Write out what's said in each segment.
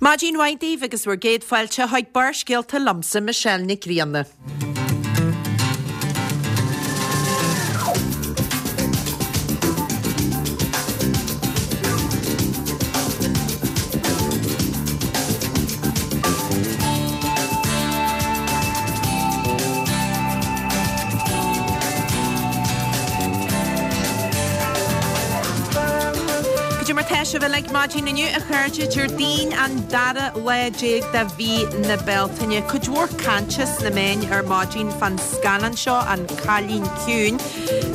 Maidin mhaith daoibh agus bhur gcéad fáilte chuig Barrscéalta liomsa, Michelle Nic Grianna. Cad é mar tá sibh uilig maidin inniu a chairde, Déardaoin an dara lá de mhí na Bealtaine. Cuid mhór cainte sna meáin ar maidin fán scannán seo, An Cailín Ciúin.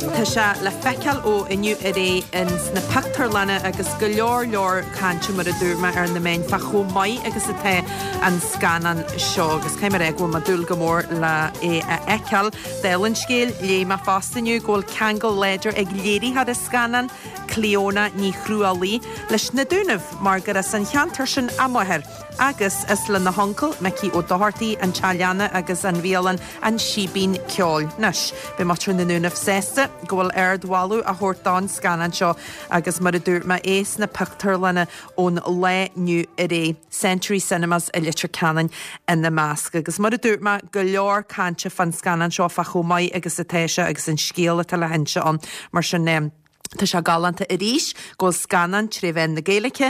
Tá sé le feiceáil ó inniu ar aghaidh ins na pictiúrlanna agus go leor leor cainte mar a dúirt mé ar na meáin fá chomh maith agus atá an scannán seo agus caithfidh mé a rá go bhfuil mé ag dúil go mór le é a fheiceáil. Dála an scéil, léigh mé fosta inniu go bhfuil ceangal láidir ag léiritheoir an scannáin, Clíona Ní Chrualaoi, leis na Dúnaibh mar gur as an cheantar sin a máthair agus is lena huncail, Micí Ó Dochartaigh, an teach leanna agus an bhialann An Síbín Ceoil. Anois, beidh muintir na nDúnaibh sásta go bhfuil ardmholadh á thabhairt don scannán seo agus mar a dúirt mé, é sna pictiúrlanna ón lá inniu ar aghaidh, Century Cinemas i Leitir Ceanainn ina measc. Agus mar a dúirt mé, go leor cainte fán scannán seo, fá chomh maith agus atá sé agus an scéal atá le hinse ann. Mar sin, tá sé galánta arís go bhfuil scannán tré mheán na Gaeilge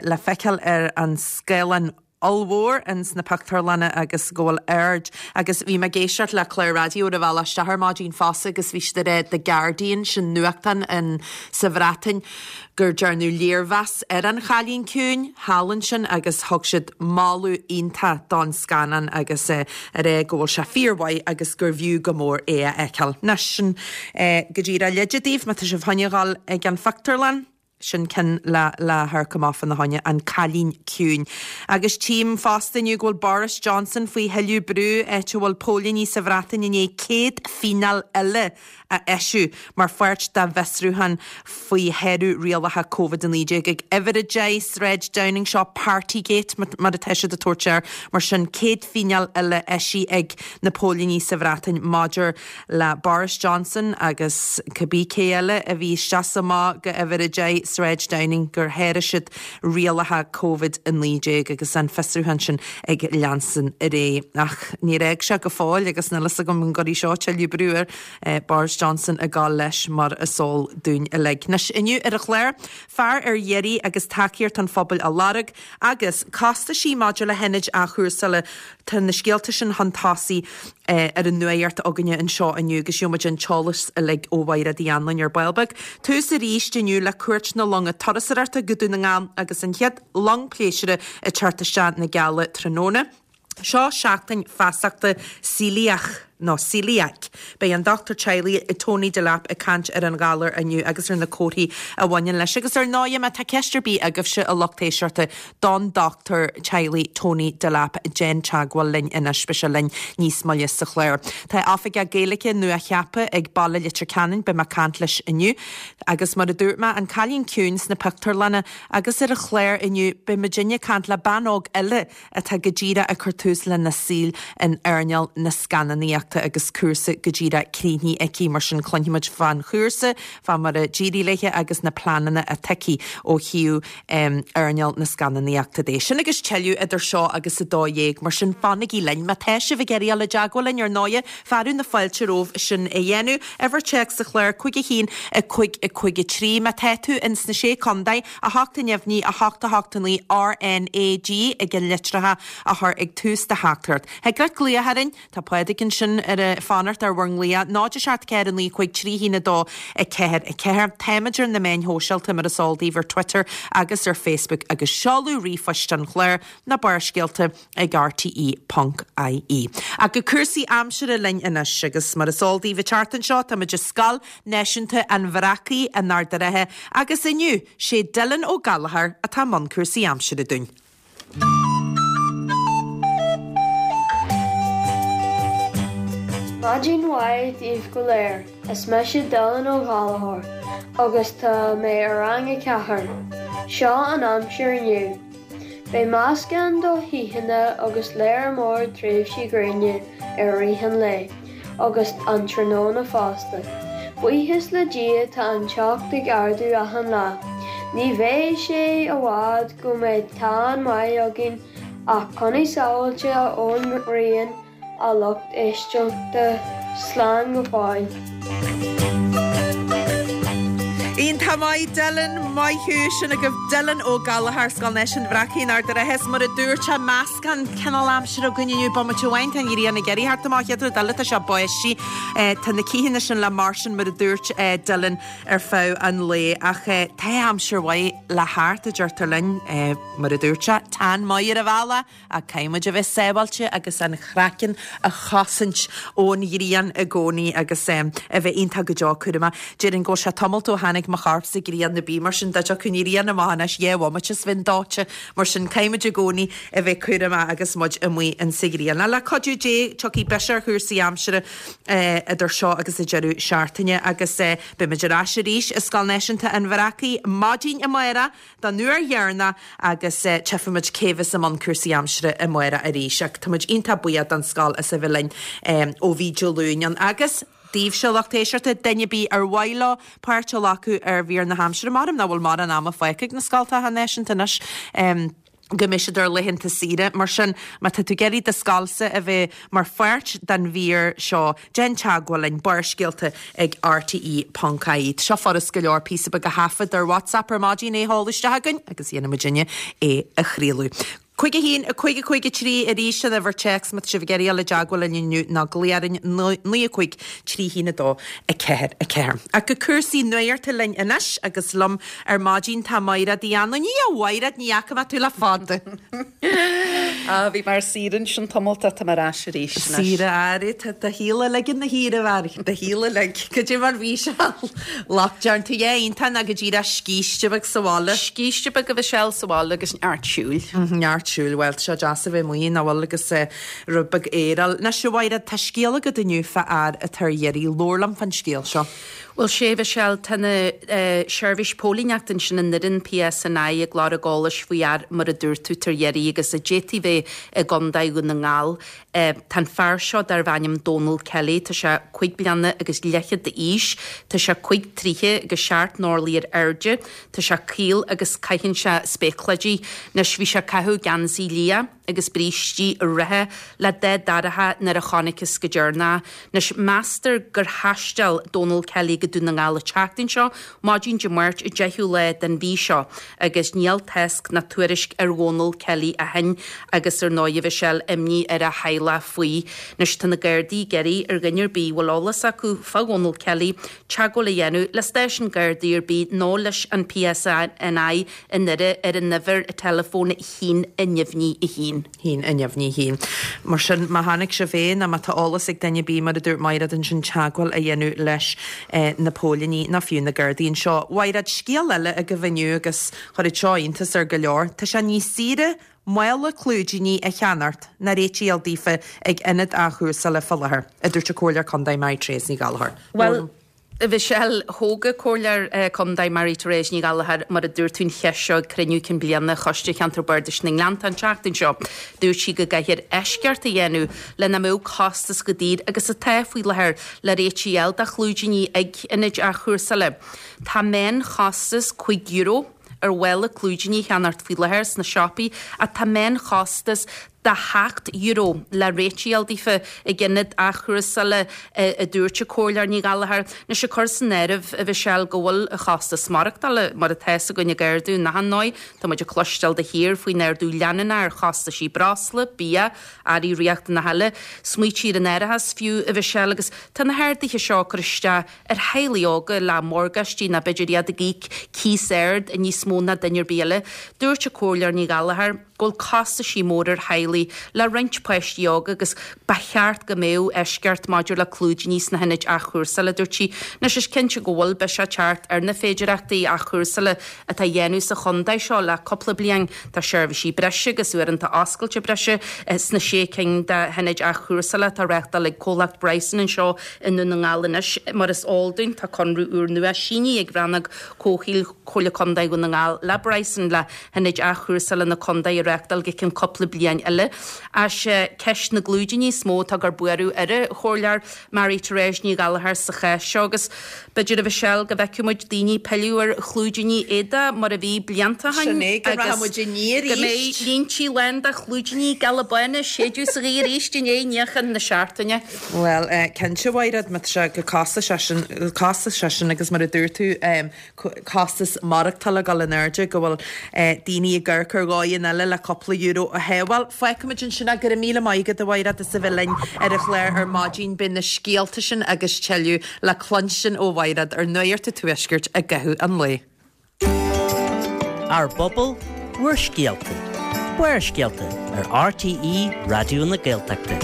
le feiceáil ar an scáileán ollmhór ins na pictiúrlanna agus go bhfuil aird agus bhí mé ag éisteacht le clár raidió ar an bhealach isteach ar maidin fosta agus bhí siad ag rá The Guardian, sin nuachtán in sa Bhreatain, gur dearnadh léirmheas ar An Chailín Ciúin thall ansin agus thug siad moladh iontach don scannán agus ag rá go bhfuil sé fíormhaith agus gur bhfiú go mór é a fheiceáil. Anois, sin go díreach leide daoibh má tá sibh chun a dhul ag an phictiúrlann. Sin ceann le le hamharc amach fána choinne, An Cailín Ciúin. Agus tchím fosta inniu go bhfuil Boris Johnson faoi thuilleadh brú, áit a bhfuil póilíní sa Bhreatain i ndiaidh 100 fíneáil eile a eisiú mar pháirt dá bhfiosrúchán faoi shárú rialacha Covid-19 ag uimhir 10 Sráid Downing, seo Partygate mar atá siad ag tabhairt air. Mar sin, 100 fíneáil eile eisithe ag na póilíní sa Bhreatain maidir le Boris Johnson agus cibé cé eile a bhí isteach is amach go uimhir 10 Sráid Downing gur sháraigh siad rialacha Covid-19 agus an fiosrúchán sin ag leanstan ar aghaidh. Ach níor fhág sé go fóill agus níl fhios agam an gcuirfidh seo tuilleadh brú ar Boris Johnson ag gabháil leis mar is eol dúinn uilig. Anois inniu ar an chlár, fear ar iarraidh agus tacaíocht an phobail á lorg agus costaisí maidir le hionaid athchúrsála. Tá na scéalta sin chun tosaigh ar an nuacht againne anseo inniu agus gheobhaidh muid an t-eolas uilig ó Mhairéad Uí Anluain ar ball beag. Tús arís inniu le cuairt na longa turasóireachta go Dún na nGall agus an chéad long pléisiúir ag teacht isteach na Geala tráthnóna. Seo seachtain feasachta Coeliach nó Celiac. Beidh an dochtúir teaghlaigh Tony Delap ag caint ar an ghalar inniu agus ar na comharthaí a bhaineann leis. Agus ar ndóigh, má tá ceist ar bith agaibhse, a lucht éisteachta, don dochtúir teaghlaigh Tony Delap, déan teagmháil linn anois, beidh sé linn níos moille sa chlár. Tá Oifigeach Gaeilge nua-cheaptha ag Baile Leitir Ceanainn, beidh mé ag caint leis inniu. Agus mar a dúirt mé, An Cailín Ciúin sna pictiúrlanna agus ar an chlár inniu, beidh muidinne ag caint le bean óg eile atá go díreach ag cur tús lena saol in earnáil na scannánaíochta agus cúrsa go díreach críochnaithe aici. Mar sin cluinfidh muid fán chúrsa, fá mar a d'éirigh léi agus na pleananna atá aici ó thaobh earnáil na scannánaíochta de. Sin agus tuilleadh idir seo agus 12, mar sin fanaigí linn. Má tá sibh ag iarraidh dul i dteagmháil linn, ar ndóighe, fearadh na fáilte romhaibh sin a dhéanamh. Uimhir téacs sa chlár, 5 1 5 5 3. Má tá tú ins na Sé Contae, 8 neamhní, 8 8 9 RNAG ag an litreacha a chur ag tús do theachtaireacht. Thig leat glaoch orainn, tá Pádraig ansin ag fanacht ar bhur nglaoch, 0 7 4 9 5 3 1 2 4 4. Táimid ar na meáin shóisialta mar is eol daoibh ar Twitter agus ar Facebook agus seoladh ríomhphoist an chláir, na Barrscéalta. ag rte ponc ie. Ach go cúrsaí aimsire linn anois, agus mar is eol daoibh an tseachtain seo táimid i Scoil Náisiúnta an Bhreacaigh in Ard a' Rátha agus inniu sé Dylan Ó Gallchóir atá i mbun cúrsaí aimsire dúinn. Maidin mhaith daoibh go léir, is mise Dylan Ó Gallchóir agus tá mé i rang a 4. Seo an aimsir inniu. Beidh meascán de ghaothanna agus léar mór tréimhsí gréine i rith an lae agus an tráthnóna fosta. Buíochas le Dia tá an teocht ag ardú achan lá. Ní bheidh sé i bhfad go mbeidh teann maith againn ach coinnigh sábháilte ón ngrian a lucht éisteachta. Slán go fóill. Iontach maith Dylan, maith thú, sin agaibh Dylan Ó Gallchóir, Scoil Náisiúnta an Bhreacaigh in Ard an Rátha. Is mar a dúirt sé, meascán cineál aimsire againn inniu, bomaite amháin tá an ghrian ag éirí thart amach, chéad rud eile tá sé ag báistí. Tá na cíthe sin le marsin mar a dúirt Dylan ar feadh an lae ach tá aimsir mhaith le theacht a deirtear linn, mar a dúirt sé, teann maith ar an bhealach ach caithfidh muid a bheith sábháilte agus an craiceann a chosaint ón ghrian i gcónaí agus a bheith iontach go deo cúramach. Déarfainn go bhfuil sé tamalt ó tháinig mo chorp sa ghrian nó bí mar sin dá dtiocfadh an ghrian amach anois dhá bhomaite is bheinn dóite. Mar sin caithfidh muid i gcónaí a bheith cúramach agus muid amuigh insa ghrian. Le cuidiú Dé tiocfaidh biseach ar chúrsaí aimsire idir seo agus an deireadh seachtaine agus beidh muid ar ais arís i Scoil Náisiúnta an Bhreacaigh maidin amárach don uair dheireanach agus tchífidh muid cé bheas i mbun cúrsaí aimsire amárach arís. Ach tá muid iontach buíoch don scoil as a bheith linn ó bhí Dé Luain ann. Agus daoibhse, a lucht éisteachta, duine ar bith ar mhaith leo páirt a ghlacadh ar mhír na haimsire, maram nach bhfuil mórán ama fágtha ag na scoltacha náisiúnta anois. go mbeidh siad ar laethanta saoire. Mar sin, má tá tú ag iarraidh do scoilsa a bheith mar pháirt den mhír seo, déan teagmháil linn, Barrscéalta ag rte ponc ie. Tá seo furast go leor, píosa beag a thaifead ar WhatsApp ar maidin, é a sheoladh isteach chugainn agus dhéanfaidh muidinne é a chraoladh. 5 1 5 5 3 arís an uimhir téacs má tá sibh ag iarraidh dul i dteagmháil linn inniu nó glaoch orainn 9 5 3 1 2 4 4. Ach go cúrsaí nuachta linn anois agus liom Ar maidin tá Maighread Uí Anluain. A Mhaighread, ní fhaca mé tú le fada. Á, bhí mé ar saoire ansin tamalt ach tá mé ar ais arís anois. Saoire, aire, tá do shaol uilig ina shaoire, a Mhaighread, do shaol uilig. Cad é mar bhí sé lockdown? Tú iontach ná go díreach scíste beag sa bhaile? Scíste beag a Mhichelle sa bhaile agus neart siúil. Neart siúil, bhuel, tá sé deas a bheith amuigh, nach bhfuil, agus rud beag aeir a fháil. Anois, a Mhaighread, tá scéal agat inniu fá fhear atá ar iarraidh. Labhair liom fán scéal seo. Bhuel, sea, a Mhichelle, tá na seirbhís póilíneachta ansin i nDoire, an PSNI, ag lorg eolais faoi fhear, mar a dúirt tú, atá ar iarraidh agus a d'fhéadfaí bheith i gContae Dhún na nGall. Tá an fear seo darbh ainm Dónal Kelly, tá sé cuig bliana agus leathchead d'aois, tá sé cuig troithe agus seacht n-orlaí ar airde, tá sé caol agus caitheann sé spéaclaidí. Anois, bhí sé ag caitheamh geansaí liath. agus brístí reatha le dath dorcha nuair a chonacthas go deireanach. Anois, meastar gur thaisteal Dónal Kelly go Dún na nGall an tseachtain seo, maidin Dé Máirt an 10ú lá den mhí seo, agus níl tásc ná tuairisc ar Dhónal Kelly ó shin agus ar ndóigh a Mhichelle, imní ar a theaghlach faoi. Anois, tá na Gardaí ag iarraidh ar dhuine ar bith a bhfuil eolas acu fá Dhónal Kelly teagmháil a dhéanamh le stáisiún Gardaí ar bith nó leis an PSNI i nDoire ar an uimhir teileafóin 1 neamhní 1. 1 neamhní 1. Mar sin, má chonaic sibh é, nó má tá eolas ag duine ar bith, mar a dúirt Maighread ansin, teagmháil a dhéanamh leis na póilíní, nó fiú na Gardaí anseo. Mhaighread, scéal eile agaibh inniu agus chuirfeadh seo iontas ar go leor. Tá sé níos saoire mála clúidíní a cheannacht ná réitigh a fháil daofa ag ionad athchúrsála fá láthair, a dúirt an Comhairleoir Contae Mary-Therese Ní Ghallchóir. Bhuel, A Mhichelle, thóg an Comhairleoir Contae Mary-Therese Ní Ghallchóir, mar a dúirt tú, an cheist seo ag cruinniú cinn bliana Choiste Cheantar Bardais na nGleanntach an tseachtain seo. Dúirt sí go gcaithfear eisceacht a dhéanamh le nach mbeadh costas chomh daor agus atá faoi láthair le réitigh a fháil do chlúidíní ag ionaid athchúrsála. Tá meánchostas €5 ar mhála clúidíní a cheannacht faoi láthair sna siopaí ach tá meánchostas de €7 le réitigh a fháil daofa ag ionad athchúrsála, a dúirt an Comhairleoir Ní Ghallchóir. Anois, ag cur san áireamh, a Mhichelle, go bhfuil an chostas maireachtála, mar atá fhios againn, ag ardú in achan ndóigh. Tá muid ag cloisteáil de shíor faoin ardú leanúnach ar chostaisí breosla, bia, earraí riachtanacha eile. Smaoitigh ar an árachas fiú, a Mhichelle, agus tá na harduithe seo ag cur isteach ar theaghlaigh óga le morgáistí nó b'fhéidir iad ag íoc cíos ard níos mó ná duine ar bith eile. Dúirt an Comhairleoir Ní Ghallchóir go bhfuil costaisí mór ar theaghlaigh le roinnt páistí óga agus ba cheart go mbeadh eisceacht maidir le clúidíní sna hionaid athchúrsála, dúirt sí. Anois is cinnte go bhfuil biseach ag teacht ar na féidireachtaí athchúrsála atá á dhéanamh sa chontae seo le cúpla bliain. Tá seirbhísí breise agus uaireanta oscailte breise sna sé cinn de hionaid athchúrsála atá á reáchtáil ag comhlacht Bryson anseo i nDún na nGall anois. Mar is eol dúinn, tá conradh úrnua sínithe ag Rannóg Comhshaoil Chomhairle Contae Dhún na nGall le Bryson le hionaid athchúrsála na contae a reáchtáil. reáchtáil go ceann cúpla bliain eile. Ach sé ceist na gclúidíní is mó atá ag cur buaireamh ar an Chomhairleoir Marie Therese Ní Ghallchóir sa chás seo agus b'fhéidir a Mhichelle go bhfeicfidh muid daoine ag pilleadh ar chlúidíní éadaigh mar a bhí blianta ó shin Sin é, go rachaidh muid aniar go mbeidh arís. líntí lán de chlúidíní geala bána ag séideadh sa ghaoth arís i ndiaidh níochán na seachtaine. Bhuel, cinnte, a Mhaighread, má tá sé chomh costasach sin, costasach sin agus mar a dúirt tú, costas maireachtála ag dul in airde, go bhfuil daoine ag amharc ar dhóigheanna eile le cúpla euro a shábháil. Fágfaimid ansin é. Go raibh míle maith agat, a Mhaighread, as a bheith linn ar an chlár ar maidin. Beidh na scéalta sin agus tuilleadh le cluinstin ó Mhaighread ar Nuacht an Tuaiscirt i gcaitheamh an lae. Ár bpobal, bhur scéalta. Barrscéalta ar RTÉ Raidió na Gaeltachta.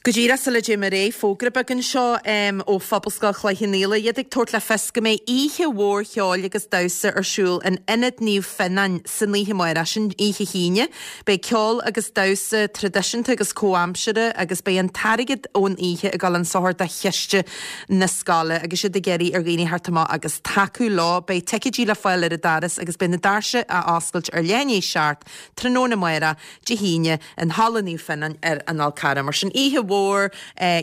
Go díreach sula dtéim ar aghaidh, fógra beag anseo ó Phobalscoil Chloich Cheann Fhaola, iad ag tabhairt le fios go mbeidh oíche mhór cheoil agus damhsa ar siúl in Ionad Naomh Fionnáin san oíche amárach, sin oíche hAoine. Beidh ceol agus damhsa traidisiúnta agus comhaimseartha agus beidh an t-airgead ón oíche ag dul chun sochair do chiste na scoile agus iad ag iarraidh ar dhaoine theacht amach agus tacú leo. Beidh ticéidí le fáil ar an doras agus beidh na doirse á oscailt ar leath i ndiaidh 7 tráthnóna amárach, Dé hAoine, in Halla Naomh Fionnáin ar an Fhál Carrach. Mar sin, oíche mhór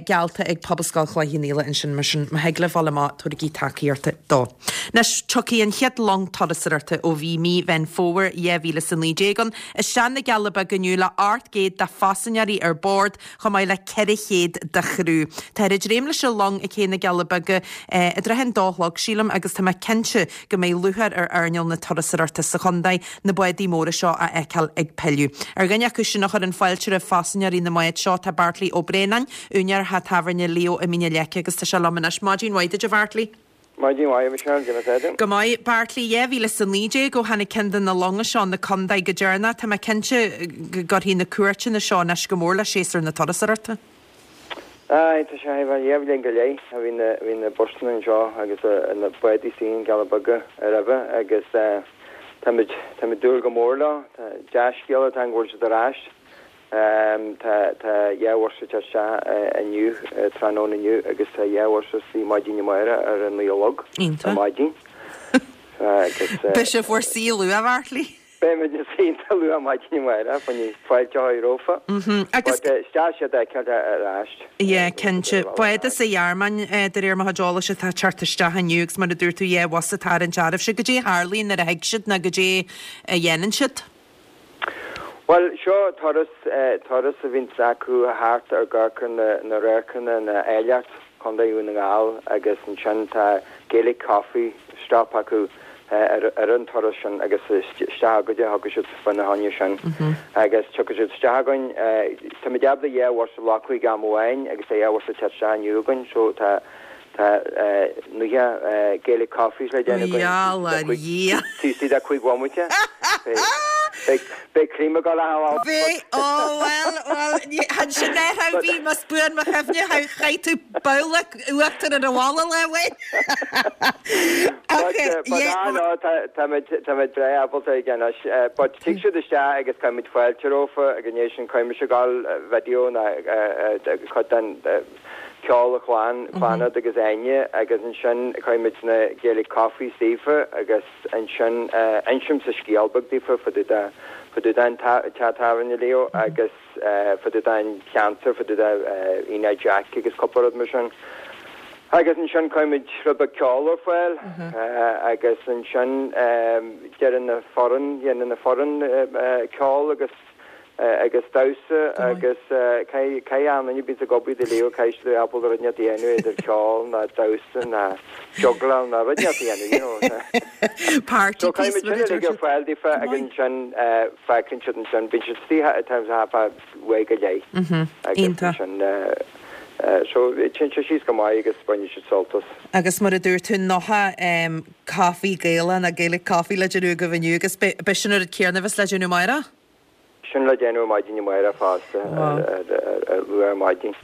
geallta ag Pobalscoil Chloich Cheann Fhaola ansin, mar sin, má thig libh dul amach, tabhairigí tacaíocht dó. Anois, tiocfaidh an chéad long turasóireachta ó bhí mí Mheán Fómhair 2019 ann isteach na gCealla Beaga inniu le 800 de phaisinéirí ar bord, chomh maith le 400 de chriú. Táthar ag dréim leis an long ag cé na gCealla Beaga i dtrátha an dó a chlog, sílim, agus tá mé cinnte go mbeidh lúcháir ar earnáil na turasóireachta sa chontae na bádaí móra seo a fheiceáil ag pilleadh. Ar dhuine acu sin a chuireann fáilte roimh phaisinéirí na mbád seo tá Beartlaí Ó Braonáin, úinéir theach tábhairne Leo i Mín an Leice agus tá sé liom anois. Maidin mhaith duit a Bheartlaí. Maidin mhaith, a Mhichelle, cén chaoi atá tú? Go maith. Beartlaí, 2019 ó tháinig ceann de na longa seo 'na contae go deireanach. Tá mé cinnte go gcuirfidh na cuairteanna seo anois go mór le séasúr na turasóireachta. Aye, tá sé, bhuel, dhá bhliain go leith a bhí na, bhí na busanna anseo agus na bádaí istigh sna Cealla Beaga roimhe agus táimid, táimid ag dúil go mór leo. Tá dea-scéala atá ann go bhfuil siad ar ais. Tá, tá dhá bhus ag teacht isteach inniu, tráthnóna inniu agus tá dhá bhus istigh maidin amárach ar a naoi a chlog ar maidin. Agus. Beidh sibh bhur suí luath, a Bheartlaí. Beimid ina suí iontach luath maidin amárach fá choinne fáilte a chur rompu. Agus. But is deas iad a fheiceáil ar ais. Yeah, cinnte. Bád as an Ghearmáin, de réir mo chuid eolais, atá ag teacht isteach inniu agus mar a dúirt tú, dhá bhus á dtarraingt oraibhse. Goidé a tharlaíonn nuair a thig siad nó goidé a dhéanann siad? Bhuel, seo turas, turas a bhíonns acu thart ar amharc na, na radharcanna, na áilleacht Chontae Dhún na nGall agus ansin tá Gaelic Coffee stop acu ar an turas sin agus isteach againne a thiocfaidh siad fána choinne sin agus tiocfaidh siad isteach againn. Táimid ábalta dhá bhus a ghlacadh ag am amháin agus tá dhá bhus ag teacht isteach inniu againn so tá tá 90 Gaelic Coffees le déanamh againn taobh istigh de chúig bhomaite. Beidh cream ag dul a Bheidh, ó bhuel, bhuel, ansin ar a bhí, más buan mo chuimhne, chaith tú babhla uachtar ar an bhalla lá amháin. But, but ah no, táimid, táimid breá ábalta aige anois. But tig siad isteach agus cuirimid fáilte rompu agus ina dhiaidh sin cuirimid ag gabháil video ná cuid den ceol a chlann, Clannad agus Áine agus ansin cuirimid na Gaelic Coffees daofa agus ansin insimse scéal beag daofa fá dtaobh de, fá dtaobh den teach tábhairne Leo agus fá dtaobh den cheantar, fá dtaobh de Aonach Jack agus cúpla rud mar sin. Agus ansin cuirimid rud beag ceoil ar fáil agus ansin deireann na foireann, dhéanann na foireann ceol agus agus damhsa agus caithfidh achan duine a bíonns ag obair do Leo, caithfidh siad a bheith ábalta rud inteacht a dhéanamh idir ceol ná damhsa ná jugláil ná rud inteacht a dhéanamh, you know. Party So piece caithfimid sin uilig ar fáil daofa agus ansin fágann siad ansin, bíonn siad istigh at times half past uair go leith agus ansin so téann sé síos go maith agus baineann siad sult as. Agus mar a dúirt tú, 90 caife Gaelach nó Gaelic coffee le déanamh agaibh inniu agus beidh sin an rud céanna a bheas le déanamh amárach? Sin le déanamh maidin amárach fosta ar luath ar maidin.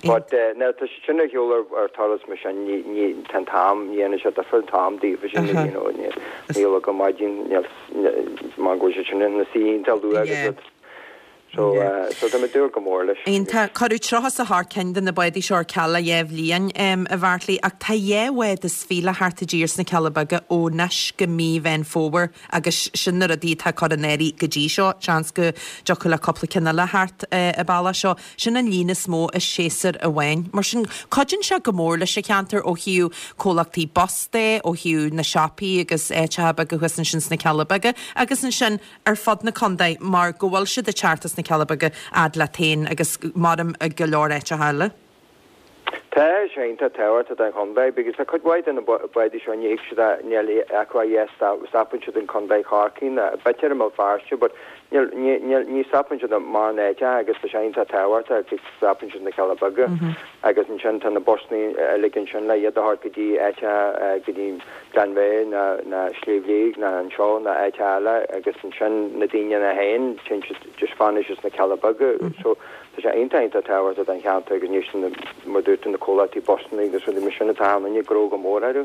But nuair atá siad sin ar shiúl ar turas mar sin ní ní tá an t-am ní dhéanann sé difear an t-am daofa sin you know ní níl go maidin níl mar go bhfuil siad sin ina suí iontach luath agus rud. So so tá mé ag dúil go mór leis. Iontach. Cuireadh 38 cinn de na bádaí seo ar ceal le dhá bhliain, a Bheairtlí, ach tá dhá bhád is fiche le theacht i dtír sna Cealla Beaga ó anois go mí Mheán Fómhair agus sin na rudaí atá curtha in áirithe go dtí seo. Seans go dtiocfadh le cúpla ceann eile theacht an bealach seo. Sin an líon is mó i séasúr amháin. Mar sin, cuidíonn sé go mór leis an cheantar ó thaobh comhlachtaí bus de, ó thaobh na siopaí agus áiteacha beaga thuas ansin sna Cealla Beaga agus ansin ar fud na contae mar go bhfuil siad ag teacht as na Cealla Beaga fhad leat féin agus maram i go leor áiteacha eile. Tá sé iontach tábhachtach don chontae because tá cuid mhaith de na bádaí seo ní thig siad a níl acu ach yes stopann siad in Contae Chorcaí nó b'fhéidir i mBéal Feirste but níl ní níl ní stopann siad i mórán áiteacha agus tá sé iontach tábhachtach go stopann siad na Cealla Beaga agus ansin tá na busanna uilig ansin le iad a thabhairt go dtí áiteacha go dtí Glenveagh nó nó Sliabh Liag nó anseo nó áiteacha eile agus ansin na daoine ina féin téann siad just fanann siad sna Cealla Beaga so Tá sé iontach iontach tábhachtach don cheantar agus níos na, mar dúirt tú, na comhlachtaí busanna agus rudaí mar sin atá ann ag gnó go mór orthu.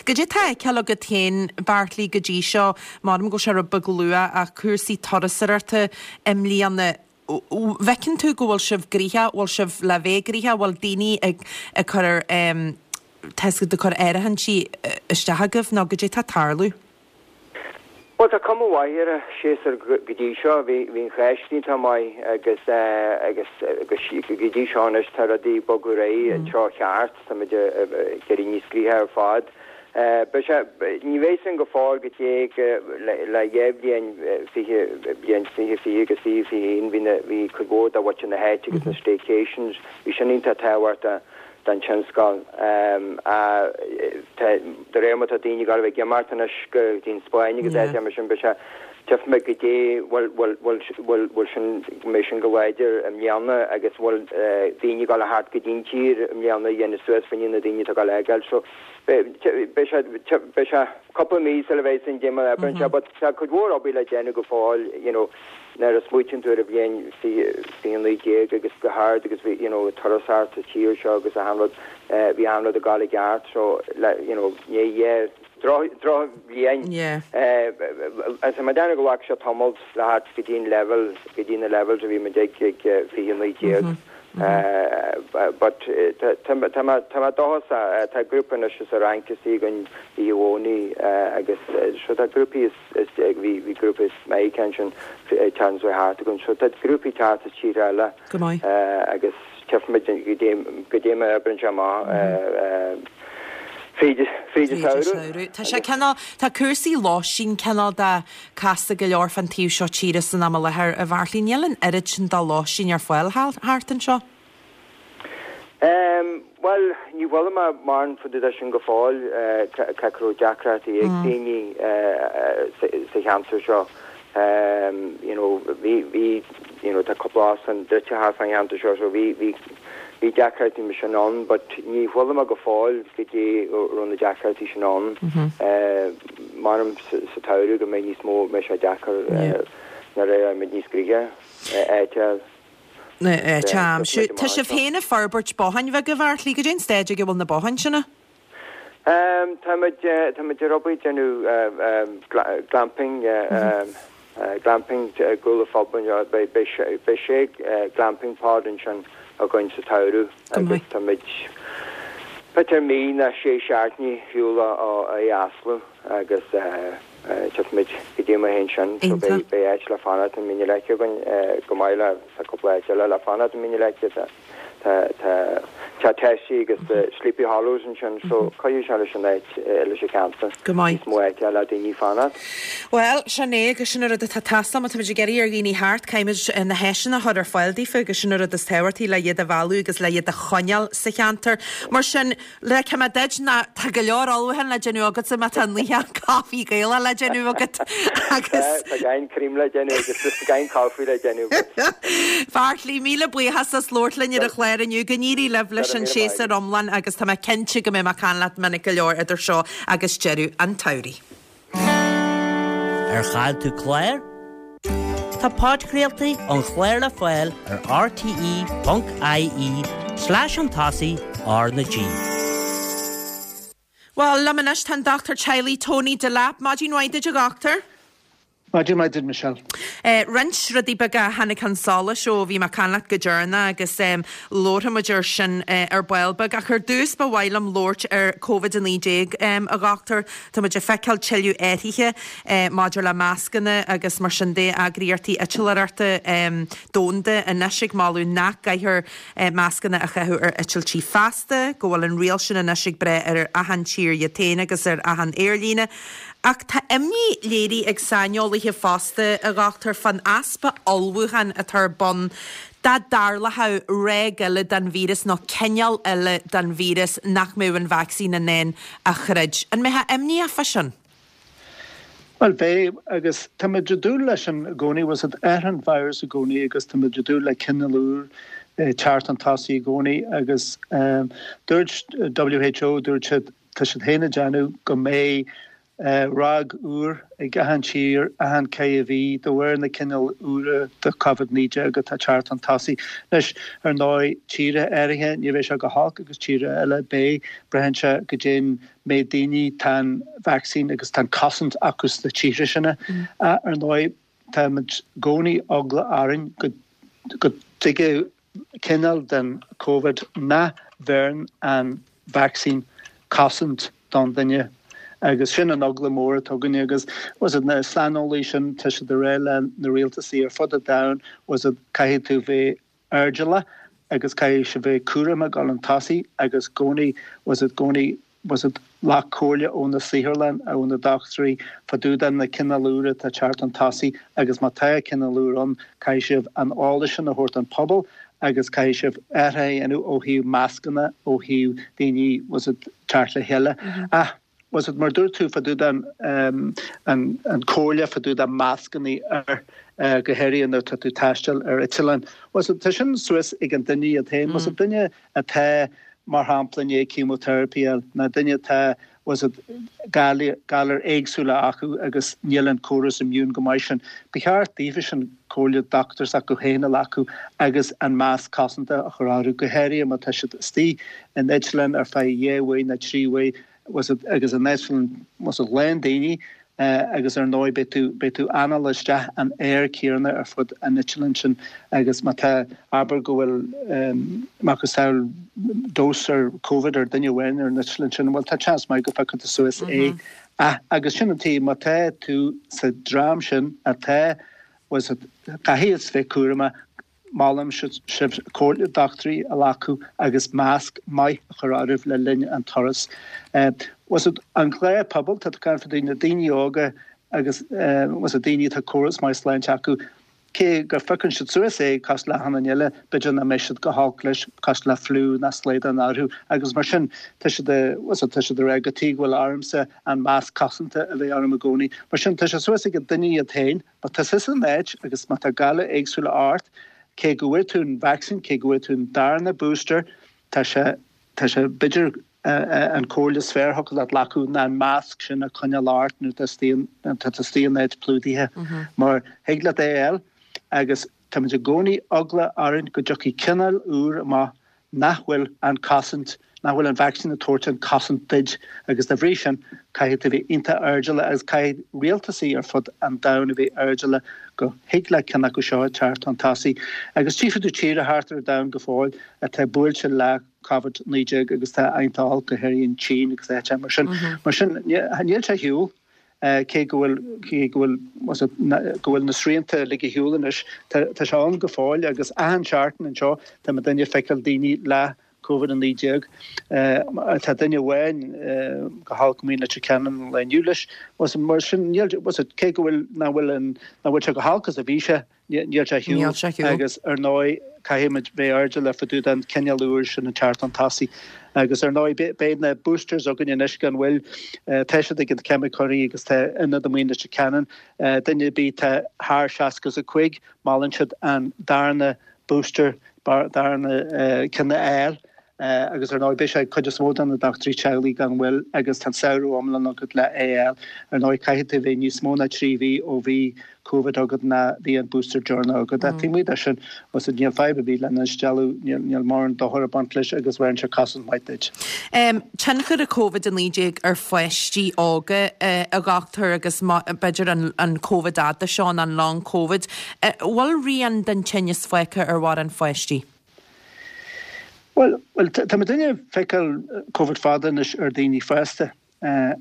Goidé tá á fheiceáil agat féin, Beairtlí, go dtí seo, maram go bhfuil sé rud beag luath ach cúrsaí turasóireachta i mbliana, bhfeiceann tú go bhfuil sibh gnoitheach, bhfuil sibh le bheith gnoitheach, bhfuil daoine ag ag cur, tá siad ag cur áirithintí isteach agaibh nó goidé tá ag tarlú? Bhuel, tá cuma mhaith ar an séasúr go dtí seo. Bhí an Cháisc iontach maith agus agus go dtí seo anois tá rudaí ag bogadh ar aghaidh i dtreo cheart. Tá muid ag éirí níos gnoithí ar fad. Beidh sé, ní bheidh sin go fóill go dtí le le dhá bhliain, 20, bliain 2020 agus 2021, bhí na, bhí cuid mhór de mhuintir na háite agus na staycations, bhí sin iontach tábhachtach. don tionscal. De réir mar tá daoine ag gabháil a bheith ag imeacht anois go dtí an Spáinn agus áiteacha mar sin, beidh sé, tchífimid goidé bhfuil, bhfuil, bhfuil, bhfuil, bhfuil sin, go mbeidh sin go láidir i mbliana agus bhfuil daoine ag gabháil a theacht go dtí an tír i mbliana a dhéanamh suas fá choinne na daoine atá ag gabháil a fhágáil. So beidh, beidh sé, beidh sé cúpla mí sula bheidh sin déanamh mar oibreann sé but tá cuid mhór obair le déanamh go fóill, you know. Nuair a smaoitíonn tú ar an bhliain 2019 agus go hard agus bhí you know turasóireacht sa tír seo agus achan rud bhí achan rud ag gabháil i gceart so le you know ní dhea droch drochbhliain is mé ag déanamh go bhfaca sé tamall le theacht go dtí an level go dtí na levels a bhí muid ag ag 2019 but tá tá mé tá mé dóchasach tá grúpa anois as an Fhrainc istigh againn oíche Dhomhnaigh agus so tá grúpaí as Is bhí bhí grúpa as Meiriceá ansin an tseachtain seo thart againn. So tá grúpaí ag teacht as tíortha eile Go maith. agus tchífimid goidé goidé mar a oibreann sé amach fríd fríd an Fríd an samhradh. samhradh. Tá sé cineál, tá cúrsaí lóistín cineál de casta go leor fán taobh seo tíre san am i láthair, a Bheairtlí. Níl an oiread sin de lóistín ar fáil thart anseo. Bhuel, ní bhfuil mé mórán fá dtaobh de sin go fóill, cé go raibh deacrachtaí ag daoine sa cheantar seo. You know, bhí, bhí, you know, tá cúpla óstán druidte thart fán cheantar seo, so bhí, bhí, bhí deacrachtaí mar sin ann, but ní chuala mé go fóill goidé raibh na deacrachtaí sin ann. Measaim sa tsamhradh go mbeidh níos mó, mbeidh sé deacair nuair a éireoidh muid níos gnoithí, áit a. Tá. Tá sibh féin ag forbairt botháin bheaga, a Bheairtlí. Goidé an staid ag a bhfuil na botháin sin? Táimid táimid ar obair ag déanamh glamping glamping i gcúl an phub anseo. Beidh beidh sé glamping pod ansin againn sa tsamhradh agus táimid b'fhéidir mí nó sé seachtainí ar shiúl ó é a osclú agus Tchífimid goidé mar a théann sin. So beidh beidh áit le fanacht i Mín na Leice againn chomh maith le tá cúpla áit eile le fanacht i Mín na Leice. Tá tá tá Teach Tessie agus the Sleepy Hollows ansin so cuirfidh sé leis an áit leis an cheantar. Go maith. Níos mó áite le daoine fanacht. Bhuel, sin é agus sin an rud atá ag teastáil má táimid ag iarraidh ar dhaoine theacht, caithfimid na háiseanna a chur ar fáil daofa agus sin an rud is tábhachtaí le iad a mhealladh agus le iad a choinneáil sa cheantar. Mar sin, Le cuma duit ná tá go leor ullmhúchán le déanamh agatsa má tá an luíochán caife Gaelach le déanamh agat agus. Tá gan cream le déanamh agus just gan coffee le déanamh agat. Bheairtlí, míle buíochas as labhairt linn ar an chlár inniu. Go n-éirí libh leis an séasúr iomlán agus tá mé cinnte go mbeidh mé ag caint leat minic go leor idir seo agus deireadh an tsamhraidh. Ar chaill tú clár? Tá podchraoltaí an chláir le fáil ar rte.ie slash chun tosaigh R na G. Bhuel, liom anois tá an dochtúir teaghlaigh Tony Delap. Maidin mhaith duit a dhochtúir. Maidin mhaith duit Michelle. Roinnt rudaí beaga a tháinig chun solais ó bhí mé ag caint leat go deireanach agus labharfaidh muid air sin ar ball beag. Ach ar dtús ba mhaith liom labhairt ar Covid-19, a Dhochtúir. Tá muid ag feiceáil tuilleadh athruithe maidir le mascanna agus mar sin de, eagraíochtaí eitleoireachta domhanda anois ag moladh nach gcaithfear mascanna a chaitheamh ar eitiltí feasta, go bhfuil an riail sin anois ag breith ar achan tír iad féin agus ar achan aerlíne. Ach tá imní léirithe ag saineolaithe fosta, a dhochtúir, fán easpa ullmhúcháin atá ar bun dá dtarlódh ráig eile den víreas nó cineál eile den víreas nach mbeadh an vacsaín in ann a throid. An mbeifeá imníoch fá sin? Bhuel, beidh, agus táimid ag dúil leis sin i gcónaí, bhfuil 's a'd, athraíonn virus i gcónaí agus táimid ag dúil le cineál úr teacht chun tosaigh i gcónaí agus dúirt WHO, dúirt siad, tá siad féin ag déanamh go mbeidh ráig úr ag achan tír achan ceithre mhí de bharr na cineál úra de Covid-19 atá ag teacht chun tosaigh. Anois, ar ndóigh, tíortha áirithe ní bheidh sé go holc agus tíortha eile beidh, braitheann sé goidé an méid daoine tá an vacsaín agus tá an cosaint acu sna tíortha sin. Ar ndóigh, táimid i gcónaí eagla orainn go dtigeadh cineál den Covid nach bheireann an vacsaín cosaint don duine agus sin an eagla mór atá againne agus bhfuil 's a'd na saineolaí sin tá siad ag rá le na rialtasaí ar fud an domhain bhfuil 's a'd caithfidh tú bheith airdeallach agus caithfidh sibh bheith cúramach ag dul chun tosaigh agus i gcónaí bhfuil 's a'd i gcónaí bhfuil 's a'd glac comhairle ó na saotharlann, ó na dochtúirí fá dtaobh de na cineál úr atá ag teacht chun tosaigh agus má tá cineál úr ann caithfidh sibh an eolas sin a thabhairt don phobal agus caithfidh sibh athruithe a dhéanamh ó thaobh mascanna, ó thaobh daoine bhfuil 's a'd teacht le chéile. Ach bhfuil 's a'd mar dúirt tú fá dtaobh den an comhairle fá dtaobh de mascanna ar go háirithe nuair atá tú ag taisteal ar eitleán. Bhfuil 's a'd tá sin suas ag an duine iad féin. Bhfuil 's a'd duine atá, mar shampla, i ndiaidh chemotherapy a fháil, nó duine atá, bhfuil 's a'd, galair éagsúla acu agus níl an córas immune go maith sin. Ba cheart daofa sin comhairle dochtúir s'acu féin a ghlacadh agus an masc cosanta a chur orthu, go háirithe má tá siad istigh in eitleán ar feadh dhá uair nó trí uair, bhfuil 's a'd, agus an eitleán, bhfuil 's a'd, lán daoine agus ar ndóigh beidh tú, beidh tú anáil isteach an aer céanna ar fud an eitleáin sin agus má tá, abair go bhfuil macasamhail dose ar Covid ar duine amháin ar an eitleán sin, bhuel tá seans maith go bpiocfaidh tú suas é. Ach, agus sin an taobh, má tá tú sa dream sin atá, bhfuil 's a'd, caithfidh bheith cúramach, Molaim sibh comhairle dochtúirí a ghlacadh agus masc maith a chur oraibh le linn an turas. Bhfuil 's a'd, an gnáthphobal, tá tú ag caint fá dtaobh na daoine óga agus bhfuil 's a'd daoine atá córas maith sláinte acu, cé go phiocann siad suas é cosúil le achan duine eile, b'fhéidir nach mbeidh siad go holc leis, cosúil le fliú ná slaghdán orthu agus mar sin tá siad bhfuil 's a'd, tá siad ag rá cad chuige go bhfuil ormsa an masc cosanta a bheith orm i gcónaí. Mar sin tá sé suas ag an duine iad féin. Má tá tusa san áit agus má tá galar éagsúla ort, cé go bhfuair tú an vacsaín, cé go bhfuair tú an darna booster, tá sé, tá sé, b'fhéidir an comhairle is fearr a thiocfadh leat glacadh ná an masc sin a choinneáil ort nuair atá istigh, nuair atá tú istigh in áit plódaithe. Mar thig leat é a fháil agus táimid i gcónaí eagla orainn go dtiocfaidh cineál úr amach nach bhfuil an cosaint, nach bhfuil an vacsaín ag tabhairt an cosaint duit agus dá bhrí sin caithfidh tú bheith iontach airdeallach agus caithfidh rialtasaí ar fud an domhain a bheith airdeallach go thig le ceann acu seo teacht chun tosaigh. Agus tchífidh tú tíortha thart ar an domhan go fóill atá buailte le Covid-19 agus tá iontach olc, go háirithe an tSín agus áiteacha mar sin. Mar sin níl sé ar shiúl. Cé go bhfuil, cé go bhfuil, go bhfuil na srianta uilig ar shiúl anois, tá, tá sé ann go fóill agus achan seachtain anseo tá muidinne ag feiceáil daoine le Covid-19. Tá duine amháin go holc amuigh in Leitir Ceanainn an lae inniu leis. Mar sin, níl, cé go bhfuil, nach bhfuil an, nach bhfuil sé chomh holc is a bhí sé, Níl sé ar shiúl agus ar ndóigh caithfimid bheith airdeallach fá dtaobh den cineál úr sin ag teacht chun tosaigh. Agus ar ndóigh beidh na boosters againn anois gan mhoill. Tá siad ag na ceimiceoirí agus tá ionad amuigh in Leitir Ceanainn. Duine ar bith atá thar 65 molann siad an darna booster, darna ceann a fháil. Agus ar ndóigh beidh sé ag cuid is mó de na dochtúirí teaghlaigh gan mhoill agus tá an samhradh iomlán agat le é a fháil. Ar ndóigh caithfidh tú bheith níos mó ná 3 mhí ó bhí Covid agat ná bhí an booster deireanach agat. Ach taobh amuigh de sin, bhfuil 's agat, níl fadhb ar bith lena instealladh, níl mórán dochair ag baint leis agus bheireann sé cosaint maith duit. Tionchar an Covid-19 ar pháistí óga, a dhochtúir, agus b'fhéidir an Covid fhada seo, an long Covid. Bhfuil rian den tinneas fágtha ar mhórán pháistí? Bhuel, tá muidinne ag feiceáil Covid fada anois ar daoine fásta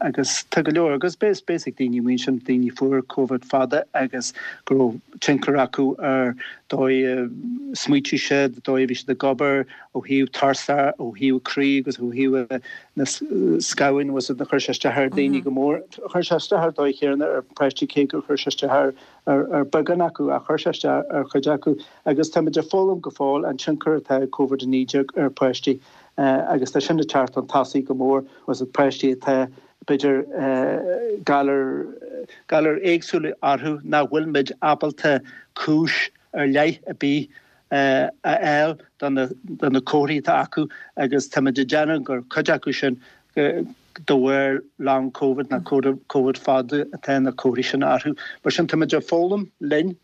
agus tá go leor, agus beidh fhios ag daoine amuigh ansin, daoine fuair Covid fada agus go raibh tionchar acu ar dóigh a smaoitigh siad, dóigh a bhí siad ag obair, ó thaobh tuirse, ó thaobh croí agus ó thaobh na scamhain, bhfuil 's agat, chuir sé isteach ar daoine go mór. Chuir sé isteach ar dóigh chéanna ar pháistí cé gur chuir sé isteach ar ar beagán acu ach chuir sé isteach ar chuid acu agus táimid ag foghlaim go fóill an tionchar atá ag Covid-19 ar pháistí agus tá sin ag teacht chun tosaigh go mór bhfuil 's agat páistí atá b'fhéidir galar galair éagsúla orthu nach bhfuil muid ábalta cúis ar leith ar bith a fháil do na comharthaí atá acu agus táimid ag déanamh gur cuid acu sin de bharr long covid nó covid fada atá na comharthaí sin orthu. Mar sin táimid ag foghlaim linn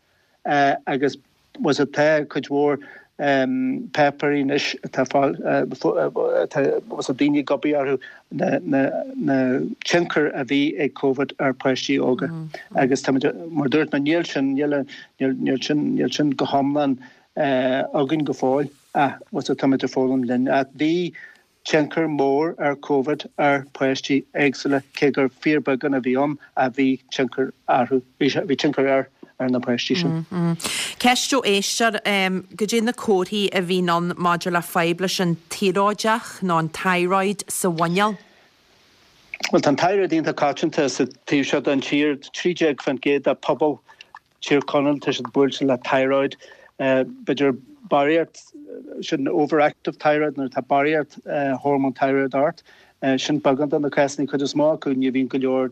agus bhfuil 's agat tá cuid mhór páipéirí anois atá fáil atá bhfuil 's agat daoine ag obair orthu na na tionchar a bhí ag covid ar pháistí óga agus táimid mar dúirt mé níl sin níl níl sin níl sin go hiomlán againn go fóill ach bhfuil 's agat táimid ag foghlaim linn. Bhí tionchar mór ar Covid ar pháistí éagsúla, cé gur fíorbheagán a bhí ann ach bhí tionchar orthu, bhí tionchar air ar na páistí sin. Ceist ó éisteoir, Goidé na comharthaí a bhíonn ann maidir le fadhb leis an tioróideach nó an thyroid sa mhuineál? Bhuel, tá an thyroid iontach coitianta sa taobh seo den tír, 13% de phobal Tír Chonaill, tá siad buailte le thyroid, b'fhéidir barraíocht, sin overactive thyroid, nuair atá barraíocht hormone thyroid ort, sin beagán de na cásanna, cuid is mó acu ní bhíonn go leor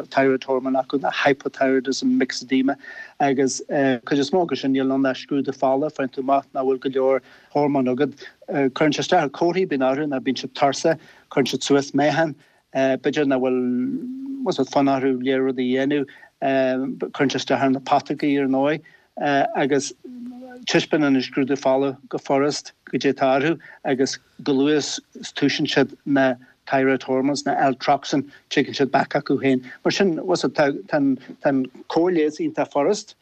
thyroid hormone acu, ná hypothyroidism, myxedema, agus cuid is mó acu sin níl ann ach scrúdú fola, faigheann tú amach nach bhfuil go leor hormone agat. Cuireann sé isteach ar comharthaí a bhíonn orthu, ná bíonn siad tuirseach, cuireann siad suas meáchan, B'fhéidir nach bhfuil bhfuil 's agat fonn orthu léir rudaí a dhéanamh, cuireann sé isteach ar na putógaí ar ndóigh, agus taispeánann an scrúdú fola go furast goidé atá orthu agus go luath is toisíonn siad na thyroid hormones, na Eltroxin, tigeann siad back acu féin. Mar sin, bhfuil 's agat, tá an cóir leighis iontach furast.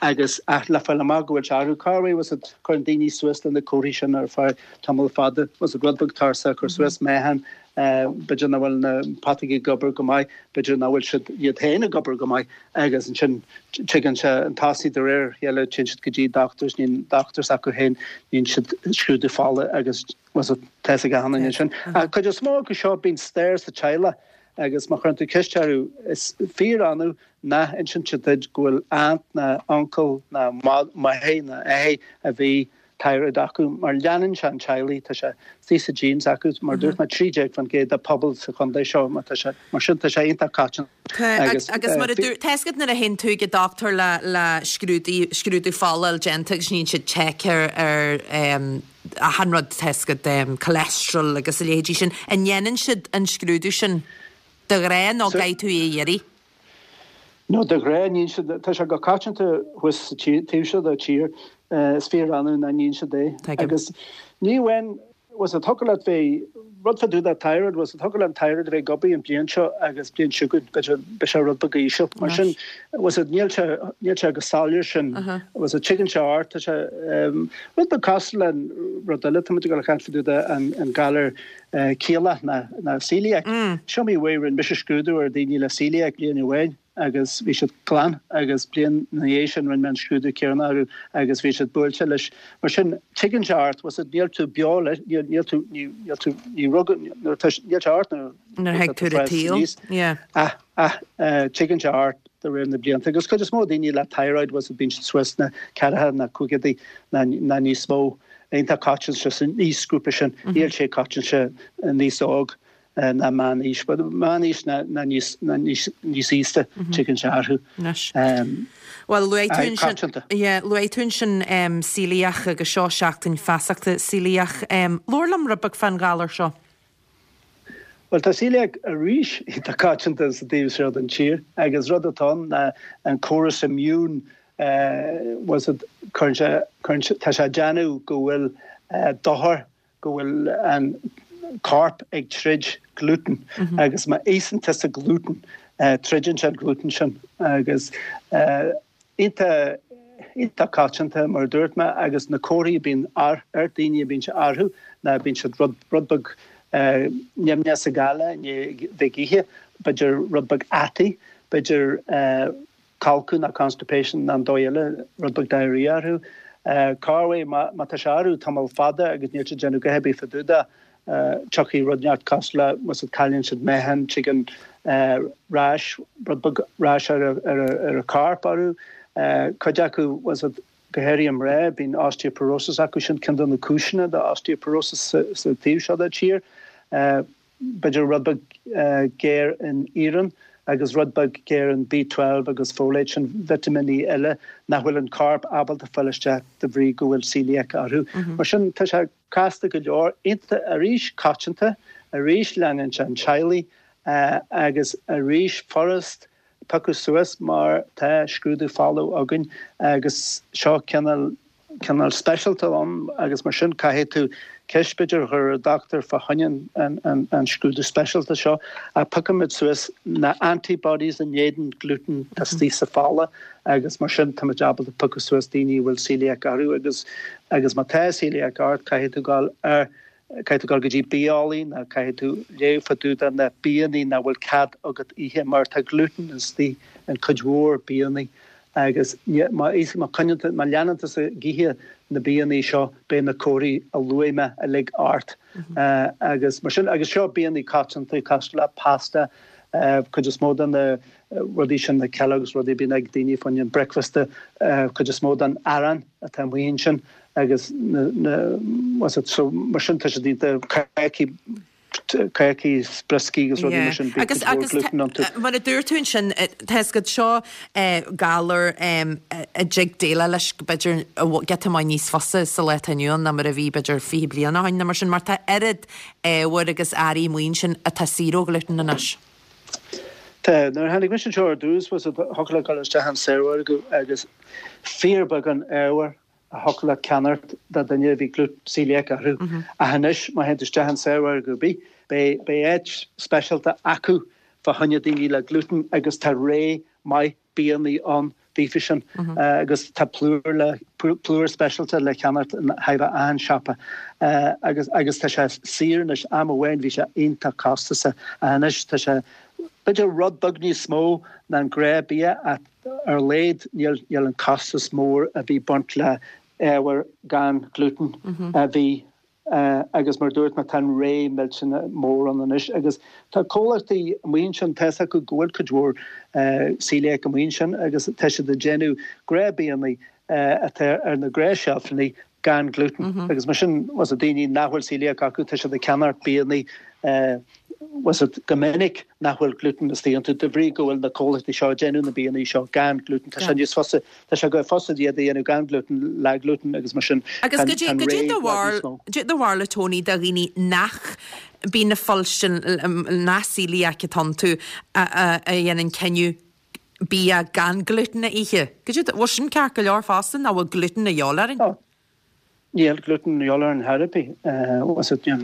Agus ach le fáil amach go bhfuil sé orthu, cá bhfuil 's agat, cuireann daoine suas le na comharthaí sin ar feadh tamall fada, bhfuil 's agat, rud beag tuirseach, cur suas meáchan, b'fhéidir nach bhfuil na putógaí ag obair go maith, b'fhéidir nach bhfuil siad iad féin ag obair go maith agus ansin tigeann sé chun tosaigh de réir a chéile, téann siad go dtí dochtúirs, níonn dochtúirs acu féin, níonn siad scrúdú fola agus bhfuil 's agat, tá 'fhios ag achan duine ansin. Ach cuid is mó acu seo, bíonn stair sa teaghlach agus má chuireann tú ceist orthu, is fíor-annamh nach inseann siad duit go bhfuil aunt ná uncle ná máthair ná athair a bhí thyroid acu mar leanann sé an teaghlaigh, tá sé istigh sa genes acu, mar dúirt mé 13% de pobal sa chontae seo mar tá sé, mar sin tá sé iontach coitianta agus. Agus mar a dúirt, tá 'fhios agat nuair a théann tú ag an dochtúir le le scrúdú, scrúdú fola a fháil déanta agus níonn siad check ar ar achan rud, tá 'fhios agat, cholesterol agus a leithéidí sin, an ndéanann siad an scrúdú sin de ghnáth nó caithfidh tú é a iarraidh? No, de ghnáth, níonn siad, tá sé go coitianta thuas sa taobh seo den tír, is fíor-annamh nach níonn siad é. Agus ní amháin, bhfuil 's agat, thiocfadh leat bheith, rud fá dtaobh de thyroid, bhfuil 's agat, thiocfadh le an thyroid a bheith ag obair an bliain seo agus bliain seo chugainn, b'fhéidir, beidh sé rud beag íseal. Mar sin, bhfuil 's agat, níl sé, níl sé go soiléir sin, bhfuil 's agat, tigeann sé ort, tá sé, rud beag cosúil le rud eile, tá muid ag dul a chaint fá dtaobh de an galar céiliach ná celiac. Is iomaí uair rinne mise scrúdú ar daoine le celiac bliain amháin agus bhí siad glan agus bliain ina dhiaidh sin rinne mé an scrúdú céanna orthu agus bhí siad buailte leis. Mar sin, tigeann sé ort, bhfuil 's agat, níl tú beo leis, níl, níl tú, ní, níl tú, ní rugadh, nuair atá, níl sé ort nuair Nuair a thig tú ar an tsaol, yeah. Ach, ach, tigeann sé ort de réir na blianta agus cuid is mó daoine le thyroid, bhfuil 's agat, bíonn siad suas sna ceathracha ná caogaidí ná, ná níos mó. Iontach coitianta san aoisghrúpa sin. Níl sé coitianta níos óg. Ná meánaois, but meánaois ná níos níos aosta tigeann sé orthu. Anois. Bhuel, luaigh tú ansin, yeah, luaigh tú ansin celiac agus seo seachtain feasachta celiac. Labhair liom rud beag fán ghalar seo. Bhuel, tá celiac arís iontach coitianta sa taobh seo den tír agus rud atá ann ná an córas immune bhfuil a fhios agat, cuireann sé, cuireann sé, tá sé ag déanamh go bhfuil dochar go bhfuil an corp ag troid gluten agus má íosann tusa gluten, troideann sé an gluten sin agus iontach iontach coitianta mar a dúirt mé agus na comharthaí a bíonn ar ar daoine a bíonn sé orthu ná bíonn siad rud rud beag nimhneach sa gheala i ndiaidh bheith ag ithe, b'fhéidir rud beag ataí, b'fhéidir Colcadh ná constipation ná an dóigh eile, rud beag diarrhea orthu. Corruair má tá sé orthu tamall fada agus níl siad ag déanamh a dhath ar bith fá dtaobh de, tiocfaidh rud inteacht cosúil le, bhfuil a fhios agat, cailleann siad meáchan, tigeann rash, rud beag rash ar a corp orthu. Cuid acu, bhfuil a fhios agat, go háirithe mná, bíonn osteoporosis acu, sin ceann de na cúiseanna do osteoporosis sa taobh seo den tír. b'fhéidir rud beag géar in iarann agus rud beag géar in B12 agus folate, sin vitimíní eile nach bhfuil an corp ábalta fáil isteach de bhrí go bhfuil celiac orthu. Mar sin tá sé casta go leor, iontach arís coitianta, arís leanann sé an teaghlaigh agus arís furast piocadh suas mar tá scrúdú fola againn agus seo cineál cineál speisialta ann agus mar sin caithfidh tú ceist b'fhéidir a chur ar dochtúir fá choinne an an an scrúdú speisialta seo ach piocaimid suas na antibodies in éadan gluten atá istigh sa fola agus mar sin táimid ábalta piocadh suas daoine a bhfuil celiac orthu agus agus má tá celiac ort caithfidh tú dul ar Caithfidh tú dul go dtí biaeolaí nó caithfidh tú léamh fá dtaobh de na biannaí nach bhfuil cead agat ithe mar tá gluten istigh in cuid mhór biannaí agus má má coinníonn tú, má leanann tusa ag ithe na biannaí seo beidh na comharthaí a luaigh mé uilig ort agus mar sin agus seo biannaí coitianta cosúil le pasta, cuid is mó de na rudaí sin na Kellogg's rudaí a bíonn ag daoine fá choinne an bricfeasta, cuid is mó den arán atá amuigh ansin. agus na, na, what's it, so mar sin tá siad iontach cácaí, cácaí is brioscaí agus rudaí mar sin, bíonn Agus, cuid mhór agus gluten iontu. mar a dúirt tú ansin, tá a fhios agat seo galar a dtig déileáil leis b'fhéidir giota maith níos fusa sa lá atá inniu ann ná mar a bhí b'fhéidir 20 bliain ó shin nó mar sin, mar tá oiread ábhair agus earraí amuigh ansin atá saor ó ghluten anois. Tá, nuair a tháinig mise anseo ar dtús, what's it, thiocfadh leat dul isteach an saormhargadh agus fíorbheagán ábhair a thiocfadh leat ceannacht do dhuine a bhí gluten celiac orthu. Ach anois, má théann tú isteach in saormhargadh ar bith, beidh, beidh áit speisialta acu fá choinne daoine le gluten agus tá rogha maith biannaí ann daofa sin agus tá plúr le, plúr speisialta le ceannacht in chóir a bheith achan siopa agus, agus tá sé saor anois. Am amháin bhí sé iontach costasach ach anois tá sé b'fhéidir rud beag níos mó ná an gnáth bia ach Ar a laghad níl an costas mór a bhí baint le ábhair gan gluten a bhí agus mar a dúirt mé tá an rogha millteanach mór ann anois agus tá comhlachtaí amuigh ansin, tá fhios acu go bhfuil cuid mhór celiac amuigh ansin agus tá siad ag déanamh gnáthbhianna atá ar na gnáthsheilfeanna gan gluten agus mar sin bhfuil fhios agat daoine nach bhfuil celiac acu tá siad ag ceannacht bianna bhfuil fhios agat go minic nach bhfuil gluten istigh iontu de bhrí go bhfuil na comhlachtaí seo ag déanamh na bianna seo gan gluten tá sé níos fusa tá sé go fusa iad a dhéanamh gan gluten le gluten agus mar sin Agus tá an rogha i bhfad níos mó. Goidé do bharúil a Tony do dhaoine nach bíonn ag fuilstin nach celiac atá iontu a dhéanann cinneadh bia gan gluten a ithe. Goidé do, bhfuil sin ceart go leor fosta nó bhfuil gluten a dhíobháil orainn? Oh, níl gluten a dhíobháil orainn chor ar bith. Bhfuil fhios agat, níl,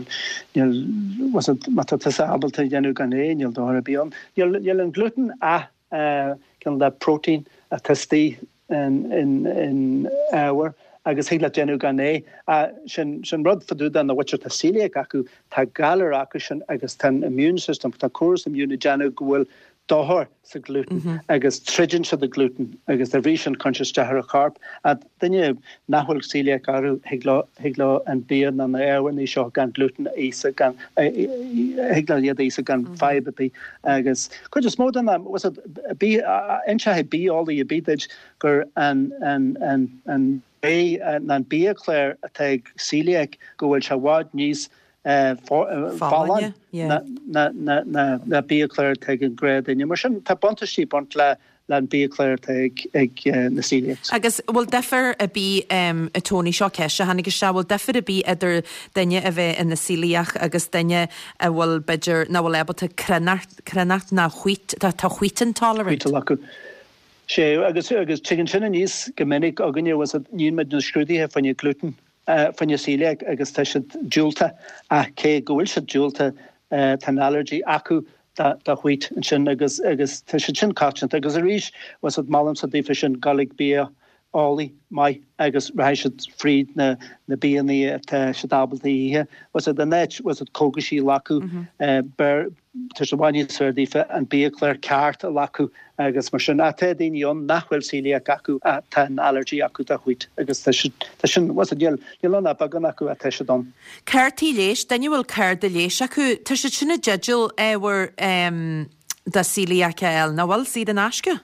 níl, bhfuil fhios agat, má tá tusa ábalta a dhéanamh gan é, níl dochar ar bith ann. Níl, níl an gluten ach cineál de protein atá istigh in, in, in ábhar agus thig leat déanamh gan é. Ach sin, sin rud fá dtaobh de na mhuintir atá celiac acu, tá galar acu sin agus tá an immune system, tá córas immune ag déanamh go bhfuil dochar sa gluten agus troideann siad an gluten agus dá bhrí sin cuireann sé isteach ar an chorp. Ach duine nach bhfuil celiac orthu, thig leo, thig leo an bia nó na ábharnaí seo gan gluten a íosa gan, thig leo iad a íosa gan fadhb ar bith. Agus cuid is mó den am, bhfuil fhios agat, bia, inseoidh biaeolaí ar bith duit gur an, an, an, an rogha ná an biachlár atá ag celiac go bhfuil sé i bhfad níos. Folláin ná biachlár atá ag an gnáthdhuine. Mar sin, tá buntáistí ag baint le an biachlár atá ag na celiacs. Agus bhfuil difear ar bith, a Tony, seo ceist a tháinig isteach, bhfuil difear ar bith idir duine a bheith ina celiach agus duine a bhfuil, b'fhéidir, nach bhfuil ábalta cruithneacht ná wheat, tá wheat intolerant? Wheat a ghlacadh. Sea, agus tagann sin aníos go minic againne, bhfuil 's a'd, níonn muid na scrúduithe fá choinne gluten. fá choinne celiac agus tá siad diúltach ach cé go bhfuil siad diúltach tá an allergy acu do wheat ansin agus agus tá siad sin coitianta agus arís bhfuil 's a'd molaimse daofa sin dul ag bia eolaí maith agus rachaidh siad fríd na na bianna atá siad ábalta a ithe bhfuil 's a'd in áit bhfuil 's a'd cógaisí a ghlacadh b'fhearr Tá sé i bhfad níos fearr daofa an biachlár ceart a ghlacadh agus mar sin. Ach tá daoine ann nach bhfuil celiac acu ach tá an allergy acu do wheat agus tá siad, tá sin, bhfuil 's a'd, níl, níl ann ach beagán acu ach tá siad ann. Cártaí leighis, duine a bhfuil cárta leighis acu, tá siad sin i dteideal ábhar do celiac a fháil, nach bhfuil, saor in aisce?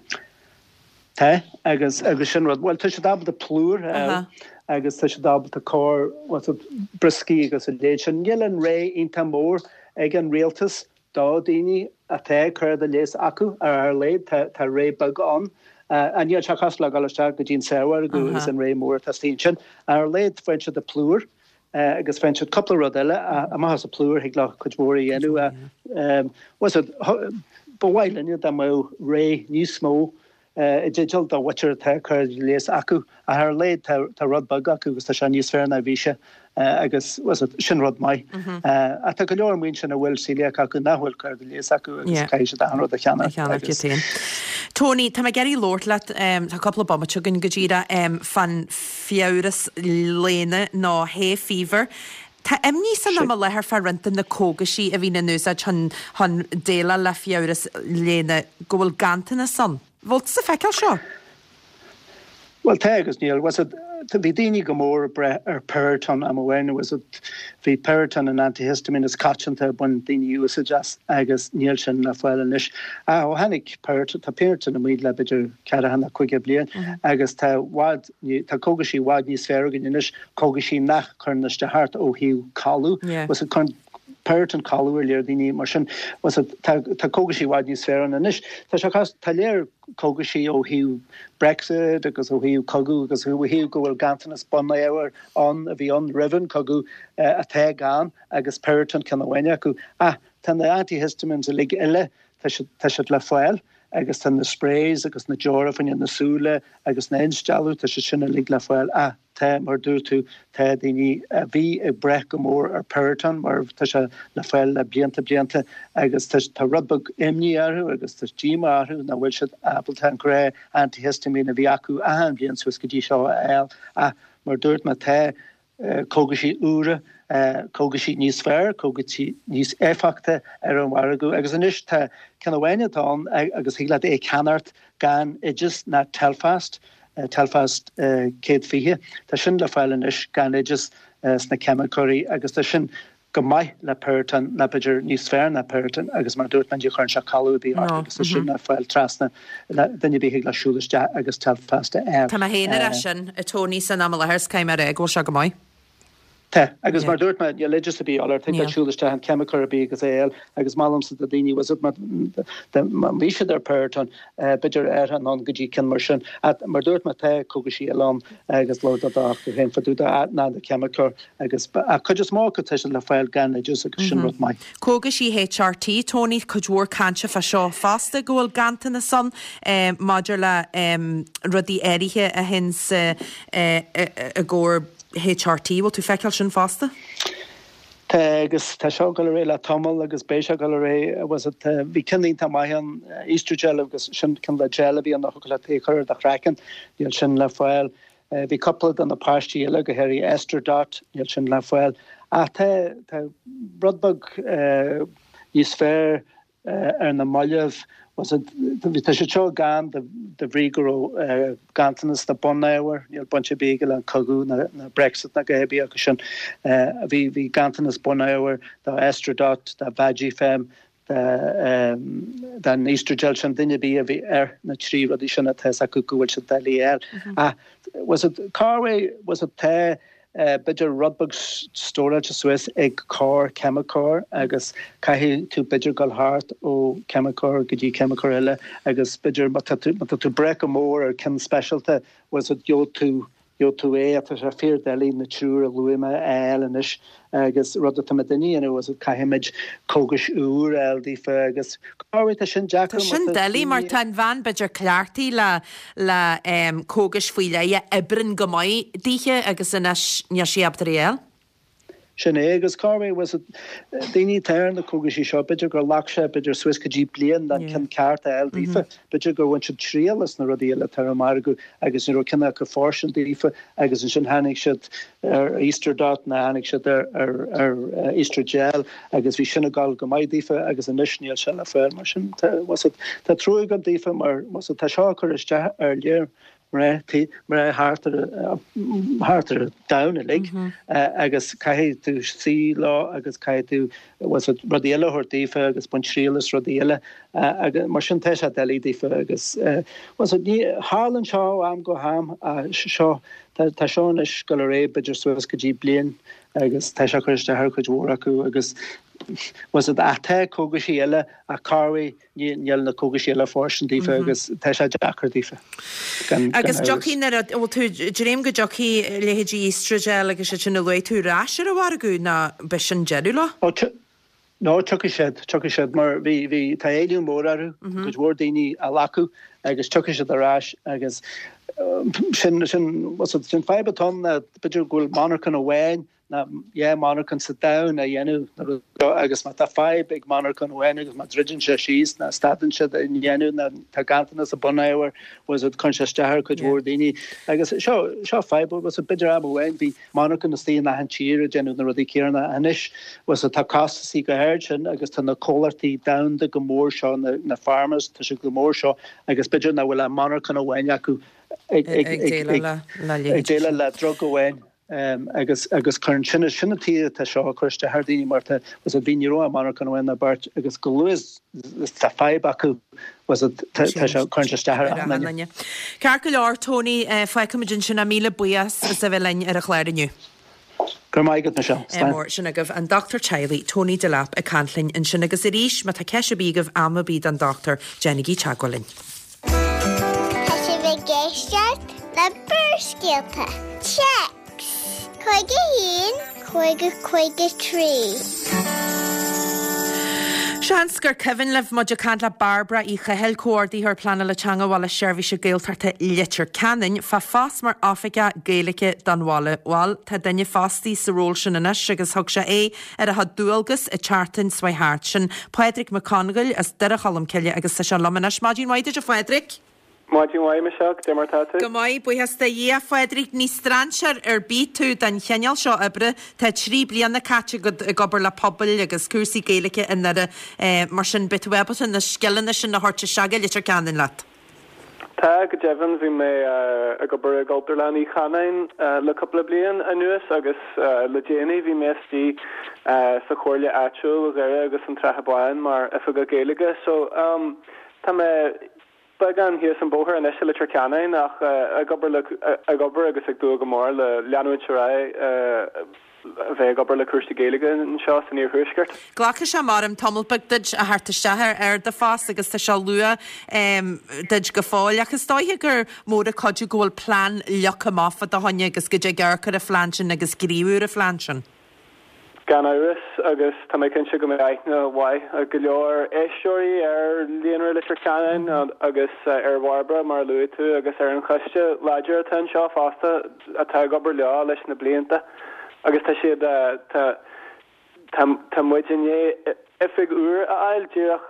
Tá, agus, agus sin rud, bhuel, tá siad ábalta plúr a fháil agus tá siad ábalta cor, bhfuil 's a'd, brioscaí agus a leithéid sin. Níl an rogha iontach mór ag an rialtas do daoine atá cárta leighis acu, ar a laghad tá, tá rogha beag ann. Ach níl sé cosúil le dhul isteach go dtí an saormhargadh agus an rogha mór atá istigh ansin. Ar a laghad faigheann siad an plúr agus faigheann siad cúpla rud eile, amach as an plúr thig leo cuid mhór a dhéanamh. Bhfuil 's a'd, ba mhaith linne dá mbeadh rogha níos mó i dteideal do mhuintir atá cárta leighis acu, ach ar a laghad tá rud beag acu agus tá sé níos fearr ná a bhí sé agus bhfuil 's a'd, sin rud maith. Ach tá go leor amuigh ansin a bhfuil celiac acu nach bhfuil cárta leighis acu agus caithfidh siad achan rud a cheannach agus. Tony, tá mé ag iarraidh labhairt leat, tá cúpla bomaite againn go díreach, fán fiabhras léana nó hay fever. Tá imní san am i láthair fá roinnt de na cógaisí a bhíonn in úsáid chun chun déileáil le fiabhras léana go bhfuil ganntanas ann. Bhfuil tusa ag feiceáil seo? Bhuel tá agus níl. Bhfuil 's a'd, bhí daoine go mór ag brath ar Piriton am amháin. Bhfuil 's a'd, bhí Piriton an antihistamine is coitianta a bhain daoine úsáid as agus níl sin le fáil anois. Ach ó tháinig Piriton, tá Piriton amuigh le b'fhéidir ceathracha nó caoga bliain agus tá i bhfad, tá cógaisí i bhfad níos fearr againn anois, cógaisí nach cuireann isteach ort ó thaobh codladh. Bhfuil 's a'd, cuireann Piriton codladh ar leor daoine mar sin. Bhfuil 's a'd, tá, tá cógaisí i bhfad níos fearr ann anois. Tá sé cos, tá léir cógaisí ó thaobh Brexit agus ó thaobh cogadh agus ó thaobh go bhfuil ganntanas bunábhair ann a bhí ann roimh an cogadh atá gann agus Piriton ceann amháin acu. Ach tá na antihistamines uilig eile, tá siad, tá siad le fáil. Agus tá na sprays agus na deora fá choinne na súile agus na instealladh, tá siad sin uilig le fáil. Ach tá, mar a dúirt tú, tá daoine a bhí ag brath go mór ar Piriton mar tá sé le fáil le blianta blianta agus tá, tá rud beag imní orthu agus tá díomá orthu nach bhfuil siad ábalta an gnáth antihistamine a bhí acu achan bhliain suas go dtí seo a fháil. Ach mar a dúirt mé, tá cógaisí úra, cógaisí níos fearr, cógaisí níos éifeachta ar an mhargadh agus anois tá ceann amháin atá ann agus thig leat é a cheannacht gan oideas ná Telfast, Telfast 120. Tá sin le fáil anois gan oideas sna ceimiceoirí agus tá sin go maith le Piriton nó b'fhéidir níos fearr ná Piriton agus mar a dúirt mé ní chuireann sé codladh ar bith ort agus tá sin le fáil trasna duine ar bith thig leis siúl isteach agus Telfast a fháil. Tá mé féin ar é sin, a Tony, san am i láthair is caithfidh mé a rá go bhfuil sé go maith. Tá, agus mar a dúirt mé níl oideas ar bith de dhíth ort, thig leat siúl isteach an ceimiceoir ar bith agus é a fháil agus molaimse do daoine bhfuil 's a'd má bhí siad ar Piriton b'fhéidir athrú anonn go dtí ceann mar sin. Ach mar a dúirt mé tá cógaisí eile ann agus labhair do dhochtúir féin fá dtaobh de ná do cheimiceoir. Agus ach cuid is mó acu tá siad le fáil gan oideas agus sin rud maith. Cógaisí HRT, Tony, cuid mhór cainte fá seo fosta, go bhfuil ganntanas ann maidir le rudaí áirithe a théann i gcomhair HRT. Bhfuil tú feiceáil sin fosta? Tá, agus tá seo ag dul ar aghaidh le tamall agus beidh sé ag dul ar aghaidh, bhfuil 's a'd, bhí ceann iontach maith ann, Oestrogel agus sin ceann le gel a bhí ann a thiocfadh leat é a chur ar do chraiceann, níl sin le fáil. Bhí cúpla de na paistí eile, go háirithe Estradot, níl sin le fáil. Ach tá, tá rud beag níos fearr ar na mallaibh. Tá siad seo gann de bhrí go raibh ganntanas de bunábhair, níl baint ar bith aige le an cogadh ná Brexit ná a dhath ar bith acu sin. Bhí, bhí ganntanas bunábhair do Estradot, do Vagifem, den Oestrogel sin, duine ar bith a bhí ar na trí rudaí sin atá 's acu go bhfuil siad doiligh a fháil. Ach bhfuil 's a'd, cá bhfuil 's a'd, tá. b'fhéidir rud beag stóráilte suas ag corr ceimiceoir agus caithfidh tú b'fhéidir dul thart ó cheimiceoir go dtí ceimiceoir eile agus b'fhéidir má tá tú má tá tú ag brath go mór ar ceann speisialta bhfuil 's a'd gheobhaidh tú gheobhaidh tú é ach tá sé fíor doiligh na triúr a luaigh mé a fháil anois agus rud atá muid a dhéanamh is caithfimid cógais úr a fháil daofa agus corruair tá sin deacair Tá sin doiligh mar tá an bhean b'fhéidir cleachtaithe le le cógais faoi leith a oibreann go maith daoithe agus anois níl sí ábalta iad a fháil. Sin é, agus corruair, bhfuil 's a'd, daoine atá ar na cógaisí seo, b'fhéidir gur ghlac sé b'fhéidir suas go dtí bliain an ceann ceart a fháil daofa. B'fhéidir gur bhain siad triail as na rudaí eile atá ar an margadh agus ní raibh ceann acu fóirstean daofa agus ansin tháinig siad ar Estradot nó tháinig siad ar ar ar Estrogel agus bhí sin ag dul go maith daofa agus anois níl sé le fáil. Mar sin, tá, bhfuil 's a'd, tá trua agam daofa mar, bhfuil 's a'd, tá seo ag cur isteach ar léir mná mná thart ar thart ar an domhan uilig agus caithfidh tú suí leo agus caithfidh tú bhfuil 's a'd rudaí eile a thabhairt daofa agus baint triail as rudaí eile agus mar sin tá sé doiligh daofa agus bhfuil 's a'd ní tharlaíonn seo ó am go ham seo tá tá seo anois ag dul ar aghaidh b'fhéidir suas go dtí bliain agus tá sé ag cur isteach ar chuid mhór acu agus bhfuil 's a'd ach tá cógaisí eile ach corruair Níl na cógaisí eile fóirstean daofa agus tá sé deacair daofa, gan Agus amhras. dtiocfaidh nuair a, bhfuil tú, dréim go dtiocfaidh leithéidí Estrogel agus iad sin a luaigh tú ar ais ar an mhargadh nó b'shin deireadh leo? Ó, no, tiocfaidh siad, tiocfaidh siad mar bhí, bhí, tá éileamh mór orthu, cuid mhór daoine á nglacadh agus tiocfaidh siad ar ais agus sin, sin, sin fadhb atá ann ná b'fhéidir go bhfuil monarchan amháin nó dhá monarchan sa domhan a dhéanamh na rudaí seo agus má tá fadhb ag monarchan amháin agus má druideann sé síos nó stadann siad a dhéanamh nó tá ganntanas i bunábhar bhfuil 's a'd cuireann sé isteach ar cuid mhór daoine agus seo seo fadhb bhfuil 's a'd b'fhéidir am amháin bhí monarchan istigh in achan tír ag déanamh na rudaí céanna anois bhfuil 's a'd tá costasaí go hard sin agus tá na comhlachtaí domhanda go mór seo na na pharmas tá siad go mór seo agus b'fhéidir nach bhfuil ach monarchan amháin acu ag ag ag ag déileáil le drug amháin. Agus agus cuireann sin sin an taobh atá seo ag cur isteach ar daoine mar tá bhfuil 's a'd bhí ní raibh ach monarchan amháin nó beirt agus go luath is tá fadhb acu bhfuil 's a'd tá tá sé cuireann sé isteach ar achan duine. Ceart go leor Tony, fágfaimid ansin é míle buíochas as a bheith linn ar an chlár inniu. Go raibh maith agat Michelle. Slán. Mór sin agaibh an dochtúir teaghlaigh Tony Delap ag caint linn ansin agus arís má tá ceist ar bith agaibh am ar bith don dochtúir déanaigí teagmháil linn. Tá sibh ag éisteacht le Barrscéalta. Téacs 51 50 53. Seans gur cuimhin libh muid ag caint le Bairbre Uí Chathail, Comhordaitheoir Pleanála Teanga Bhaile Seirbhíse Gaeltachta Leitir Ceanainn, fá phost mar Oifigeach Gaeilge don bhaile. Bhuel, tá duine fostaithe sa ról sin anois agus thug sé aghaidh ar a chuid dualgas an tseachtain seo thart. Sin Pádraig Mac Congail as Doire Cholm Cille agus tá sé liom anois. Maidin mhaith duit a Phádraig. Maidin mhaith, Michelle, cad é mar tá tú? Go maith, buíochas do Dhia. A Phádraig, ní strainséir ar bith tú don chineál seo oibre. Tá 3 bliana caite agat ag obair le pobail agus cúrsaí Gaeilge i nDoire. Mar sin, beidh tú ábalta na scileanna sin a thabhairt isteach go Leitir Ceanainn leat. Tá, go deimhin. Bhí mé ag obair i gCultúrlann Uí Chanáin le cúpla bliain anuas agus le déanaí bhí mé istigh sa chomhairle áitiúil Dhoire agus an tSratha Báin mar Oifigeach Gaeilge. So, tá mé beagán thíos an bóthar anois i Leitir Ceanainn ach ag obair le, ag obair agus ag dúil go mór le leanúint ar aghaidh. a bheith ag obair le cúrsaí Gaeilge anseo san iarthuaisceart. Glacfaidh sé maram tamall beag duit a theacht isteach ar ar do phost agus tá sé luath duit go fóill ach is dóiche gur mór an cuidiú go bhfuil plean leagtha amach fá do choinne agus go dtig amharc ar an phlean sin agus gníomhú ar an phlean sin. Gan amhras, agus tá mé cinnte go mbeidh aithne mhaith ag go leor éisteoirí ar Líonra Leitir Ceanainn agus ar Bhairbre, mar a luaigh tú, agus ar an choiste láidir atá anseo fosta atá ag obair leo leis na blianta. Agus tá siad, tá, tá, tá muid i ndiaidh oifig úr a fháil, díreach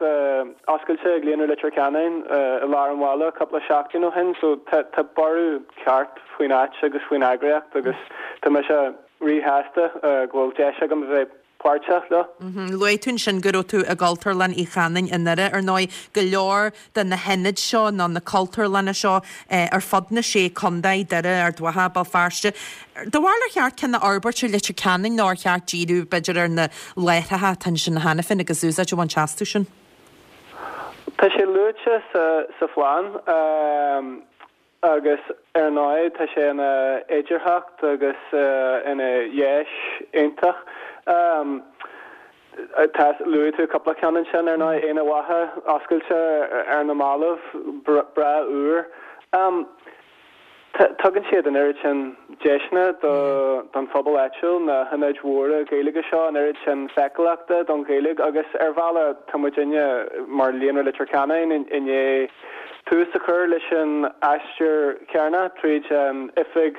oscailte ag Líonra Leitir Ceanainn i lár an bhaile cúpla seachtain ó shin, so tá, tá borradh ceart faoin áit agus faoin eagraíocht agus tá mise ríshásta go bhfuil deis agam a bheith páirteach leo. Luaigh tú ansin go raibh tú i gCultúrlann Uí Chanáin i nDoire. Ar ndóigh, go leor de na hionaid seo nó na cultúrlanna seo ar fud na sé contae, Doire, Ard Mhacha, Béal Feirste. Do bharúil ar cheart ceann a fhorbairt i Leitir Ceanainn nó ar cheart díriú b'fhéidir ar na láithreacha atá ansin cheana féin agus úsáid a bhaint astu sin? Tá sé luaite sa phlean. Agus ar ndóigh tá sé ina fhéidearthacht agus ina dheis iontach. Tá, luaigh tú cúpla ceann ansin ar ndóigh, Aonach Mhacha oscailte ar na mallaibh, breá úr. Tugann siad an oiread sin deiseanna don phobal áitiúil, na hionaid mhóra Ghaeilge seo, an oiread sin feiceálachta don Ghaeilge agus ar bhealach tá muidinne mar Líonra Leitir Ceanainn i ndiaidh tús a chur leis an aistear céanna tríd an oifig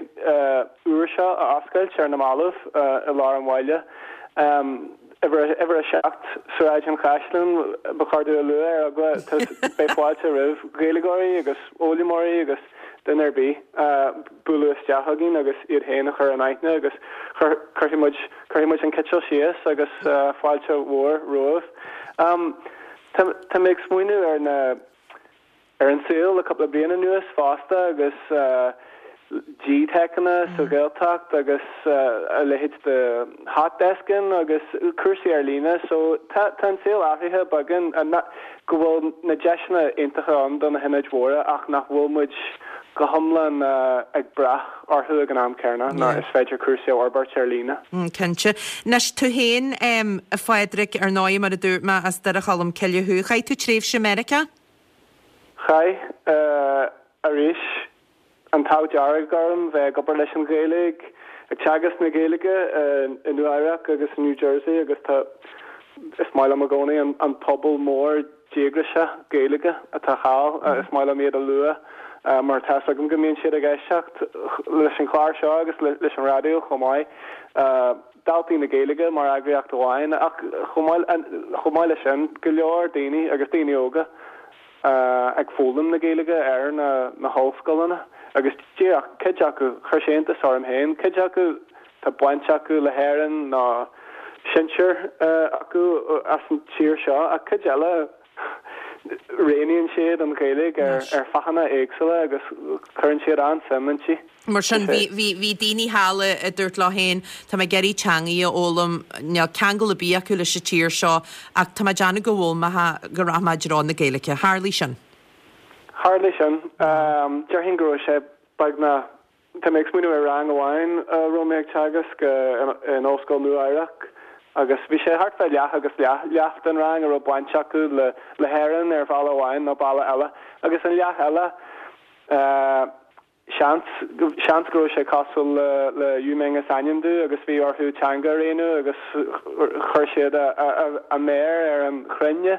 úr seo a oscailt ar na mallaibh i lár an bhaile. Uimhir 7, Sráid an Chaisleáin, ba chóir domh a lua ar eagla, beidh fáilte roimh Ghaeilgeoirí agus fhoghlaimeoirí agus duine ar bith bualadh isteach chugainn agus iad féin a chur in aithne agus cuirfidh muid, cuirfidh muid an citeal síos agus fáilte mhór romhaibh. Tá mé ag smaoineamh ar na. ar an saol le cúpla bliain anuas fosta agus GTeiceanna sa Ghaeltacht agus a leithéid de hot desking agus cúrsaí ar líne so tá an saol athraithe beagán go bhfuil na deiseanna iontacha ann do na hionaid mhóra ach nach bhfuil muid go hiomlán ag brath orthu ag an am céanna nó is féidir cúrsaí a fhorbairt ar líne. Cinnte. Anois tú féin a Phádraig, ar ndóigh mar a dúirt mé as Doire Cholm Cille thú. Chaith tú tréimhse i Meiriceá? Chaith, arís, an t-ádh dearg orm bheith ag obair leis an Ghaeilge, ag teagasc na Gaeilge i Nua Eabhrac agus i New Jersey agus tá, is maith liom i gcónaí an pobal mór díograiseach Gaeilge atá thall, is maith liom iad a lua mar tá's agam go mbíonn siad ag éisteacht leis an chlár seo agus leis an raidió chomh maith. Daltaí na Gaeilge mar eagraíocht amháin ach chomh maith leis sin, go leor daoine agus daoine óga ag foghlaim na Gaeilge ar na hollscoileanna agus díreach cuid acu, chuir sé iontas orm féin, cuid acu tá baint acu le hÉirinn nó sinsear acu as an tír seo ach cuid eile roghnaíonn siad an Ghaeilge ar fáthanna éagsúla agus cuireann siad an-suim inti. Mar sin, bhí, bhí, bhí daoine thall a, a dúirt leo féin, tá mé ag iarraidh teangaidh a fhoghlaim, níl ceangal ar bith acu leis an tír seo, ach tá mé ag déanamh go bhfoghlaimeoidh, go rachaidh mé i dtreo na Gaeilge. Tharlaigh sin. Tharlaigh sin. Déarfainn go raibh sé beagnach, tá mé ag smaoineamh ar rang amháin a raibh mé ag teagasc in Ollscoil Nua Eabhrac agus bhí sé thart fá leath agus leath, leath den rang a raibh baint acu le, le hÉirinn ar bhealach amháin nó bealach eile agus an leath eile, Seans, seans go raibh sé cosúil le, le Yu Ming is ainm domh agus bhí orthu teanga a roghnú agus chuir siad a, a, a méar ar an chruinne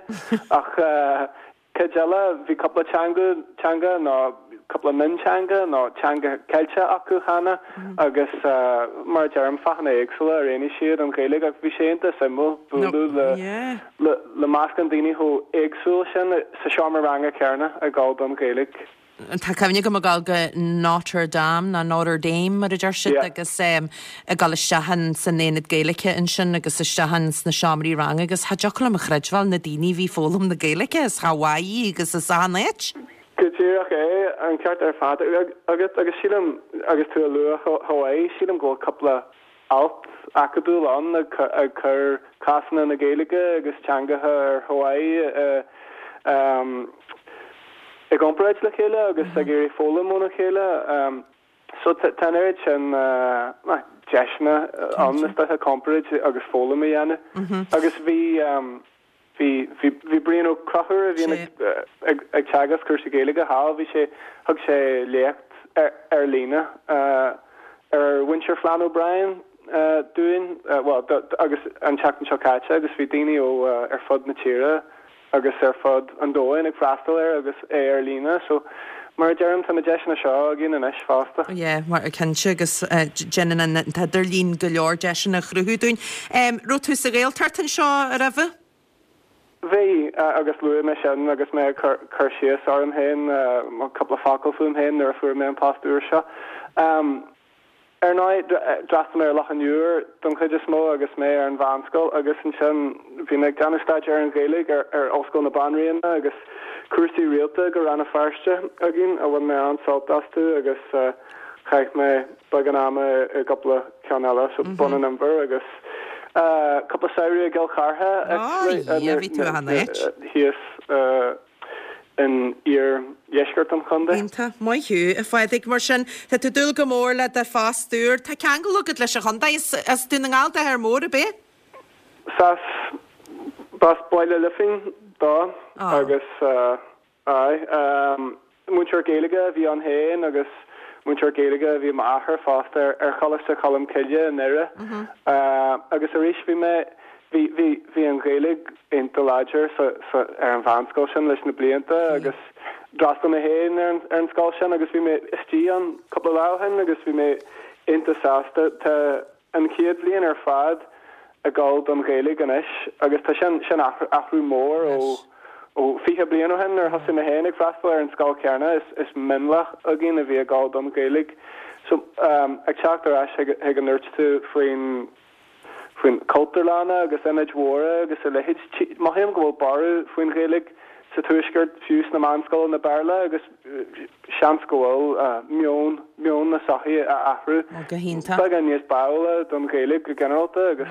ach cuid eile, bhí cúpla teanga, teanga nó cúpla mionteanga nó teanga Ceilteach acu cheana agus mar a deirim, fáthanna éagsúla a roghnaigh siad an Ghaeilge ach bhí sé iontach suimiúil bualadh le, le, le meascán daoine chomh éagsúil sin sa seomra ranga céanna ag gabháil don Ghaeilge. Tá cuimhne agam ag dul go Notre Dame nó Notre Dame mar a deir siad agus ag dul isteach in san aonad Gaeilge ansin agus isteach in sna seomraí ranga agus cha dtiocfadh liom a chreidbheáil na daoine a bhí ag foghlaim na Gaeilge as Hawaii agus as achan áit. Go díreach é, an ceart ar fad agat agus sílim, agus tú a lua Hawaii, sílim go bhfuil cúpla alt acadúil ann ag cur cásanna na Gaeilge agus teangacha ar Hawaii i gcomparáid le chéile agus ag iarraidh foghlaim óna chéile. So tá an oiread sin deiseanna ann is dócha comparáid agus foghlaim a dhéanamh. Agus bhí Bhí, bhí, bhí Brian Ó Conchúir a bhíonn ag, ag teagasc cúrsaí Gaeilge thall, bhí sé, thug sé léacht ar, ar líne ar mhuintir Flann O'Brien dúinn, bhuel, do, agus an tseachtain seo caite agus bhí daoine ó ar fud na tíre agus ar fud an domhain ag freastal air agus é ar líne so mar a deirim tá na deiseanna seo againn anois fosta. Yeah, mar, cinnte agus déanann an t-idirlíon go leor deiseanna a chruthú dúinn. Raibh tú sa Ghaeltacht anseo roimhe? Bhí, agus luaigh mé sin agus mé ag cur síos orm féin, cúpla focal fúm féin nuair a fuair mé an post úr seo. Ar ndóigh, d'fhreastail mé ar Loch an Iúir don chuid is mó agus mé ar an mheánscoil agus ansin bhí mé ag déanamh staidéar ar an Ghaeilge ar Ollscoil na Banríona agus cúrsaí rialta go Rann na Feirste againn a bhain mé an-sult astu agus chaith mé beagán ama i gcúpla ceann eile, so Bun an Inbhir agus cúpla samhradh i gCill Chartha actually thíos. In iardheisceart an chontae. Iontach. Maith thú, a Phádraig. Mar sin, tá tú ag dúil go mór le do phost úr. Tá ceangal agat leis an chontae. Is as Dún na nGall d'athair mór, ab ea? Sea, b'as Baile Loifín dó agus, aye, múinteoir Gaeilge a bhí ann féin agus múinteoir Gaeilge a bhí i m'athair fosta ar Choláiste Cholmcille i nDoire. Agus arís bhí mé, Bhí, bhí, bhí an Ghaeilge iontach láidir sa, sa, ar an mheánscoil sin leis na blianta agus d'fhreastail mé féin ar an, ar an scoil sin agus bhí mé istigh ann cúpla lá ó shin agus bhí mé iontach sásta. Tá an chéad bhliain ar fad ag dul don Ghaeilge anois agus tá sin, sin athrú, athrú mór ó, ó 20 bliain ó shin nuair a thosaigh mé féin ag freastal ar an scoil chéanna is, is mionlach againn a bhí ag dul don Ghaeilge. So, ag teacht ar ais chuig, chuig a ndúirt tú faoin, faoin Cultúrlanna agus ionaid mhóra agus a leithéid. Mothaím go bhfuil borradh faoin Ghaeilge sa Tuaisceart, fiú sna meánscoileanna Béarla, agus seans go bhfuil meon meon na sochaí á athrú Go hiontach. beagán níos báúla don Ghaeilge go ginearálta agus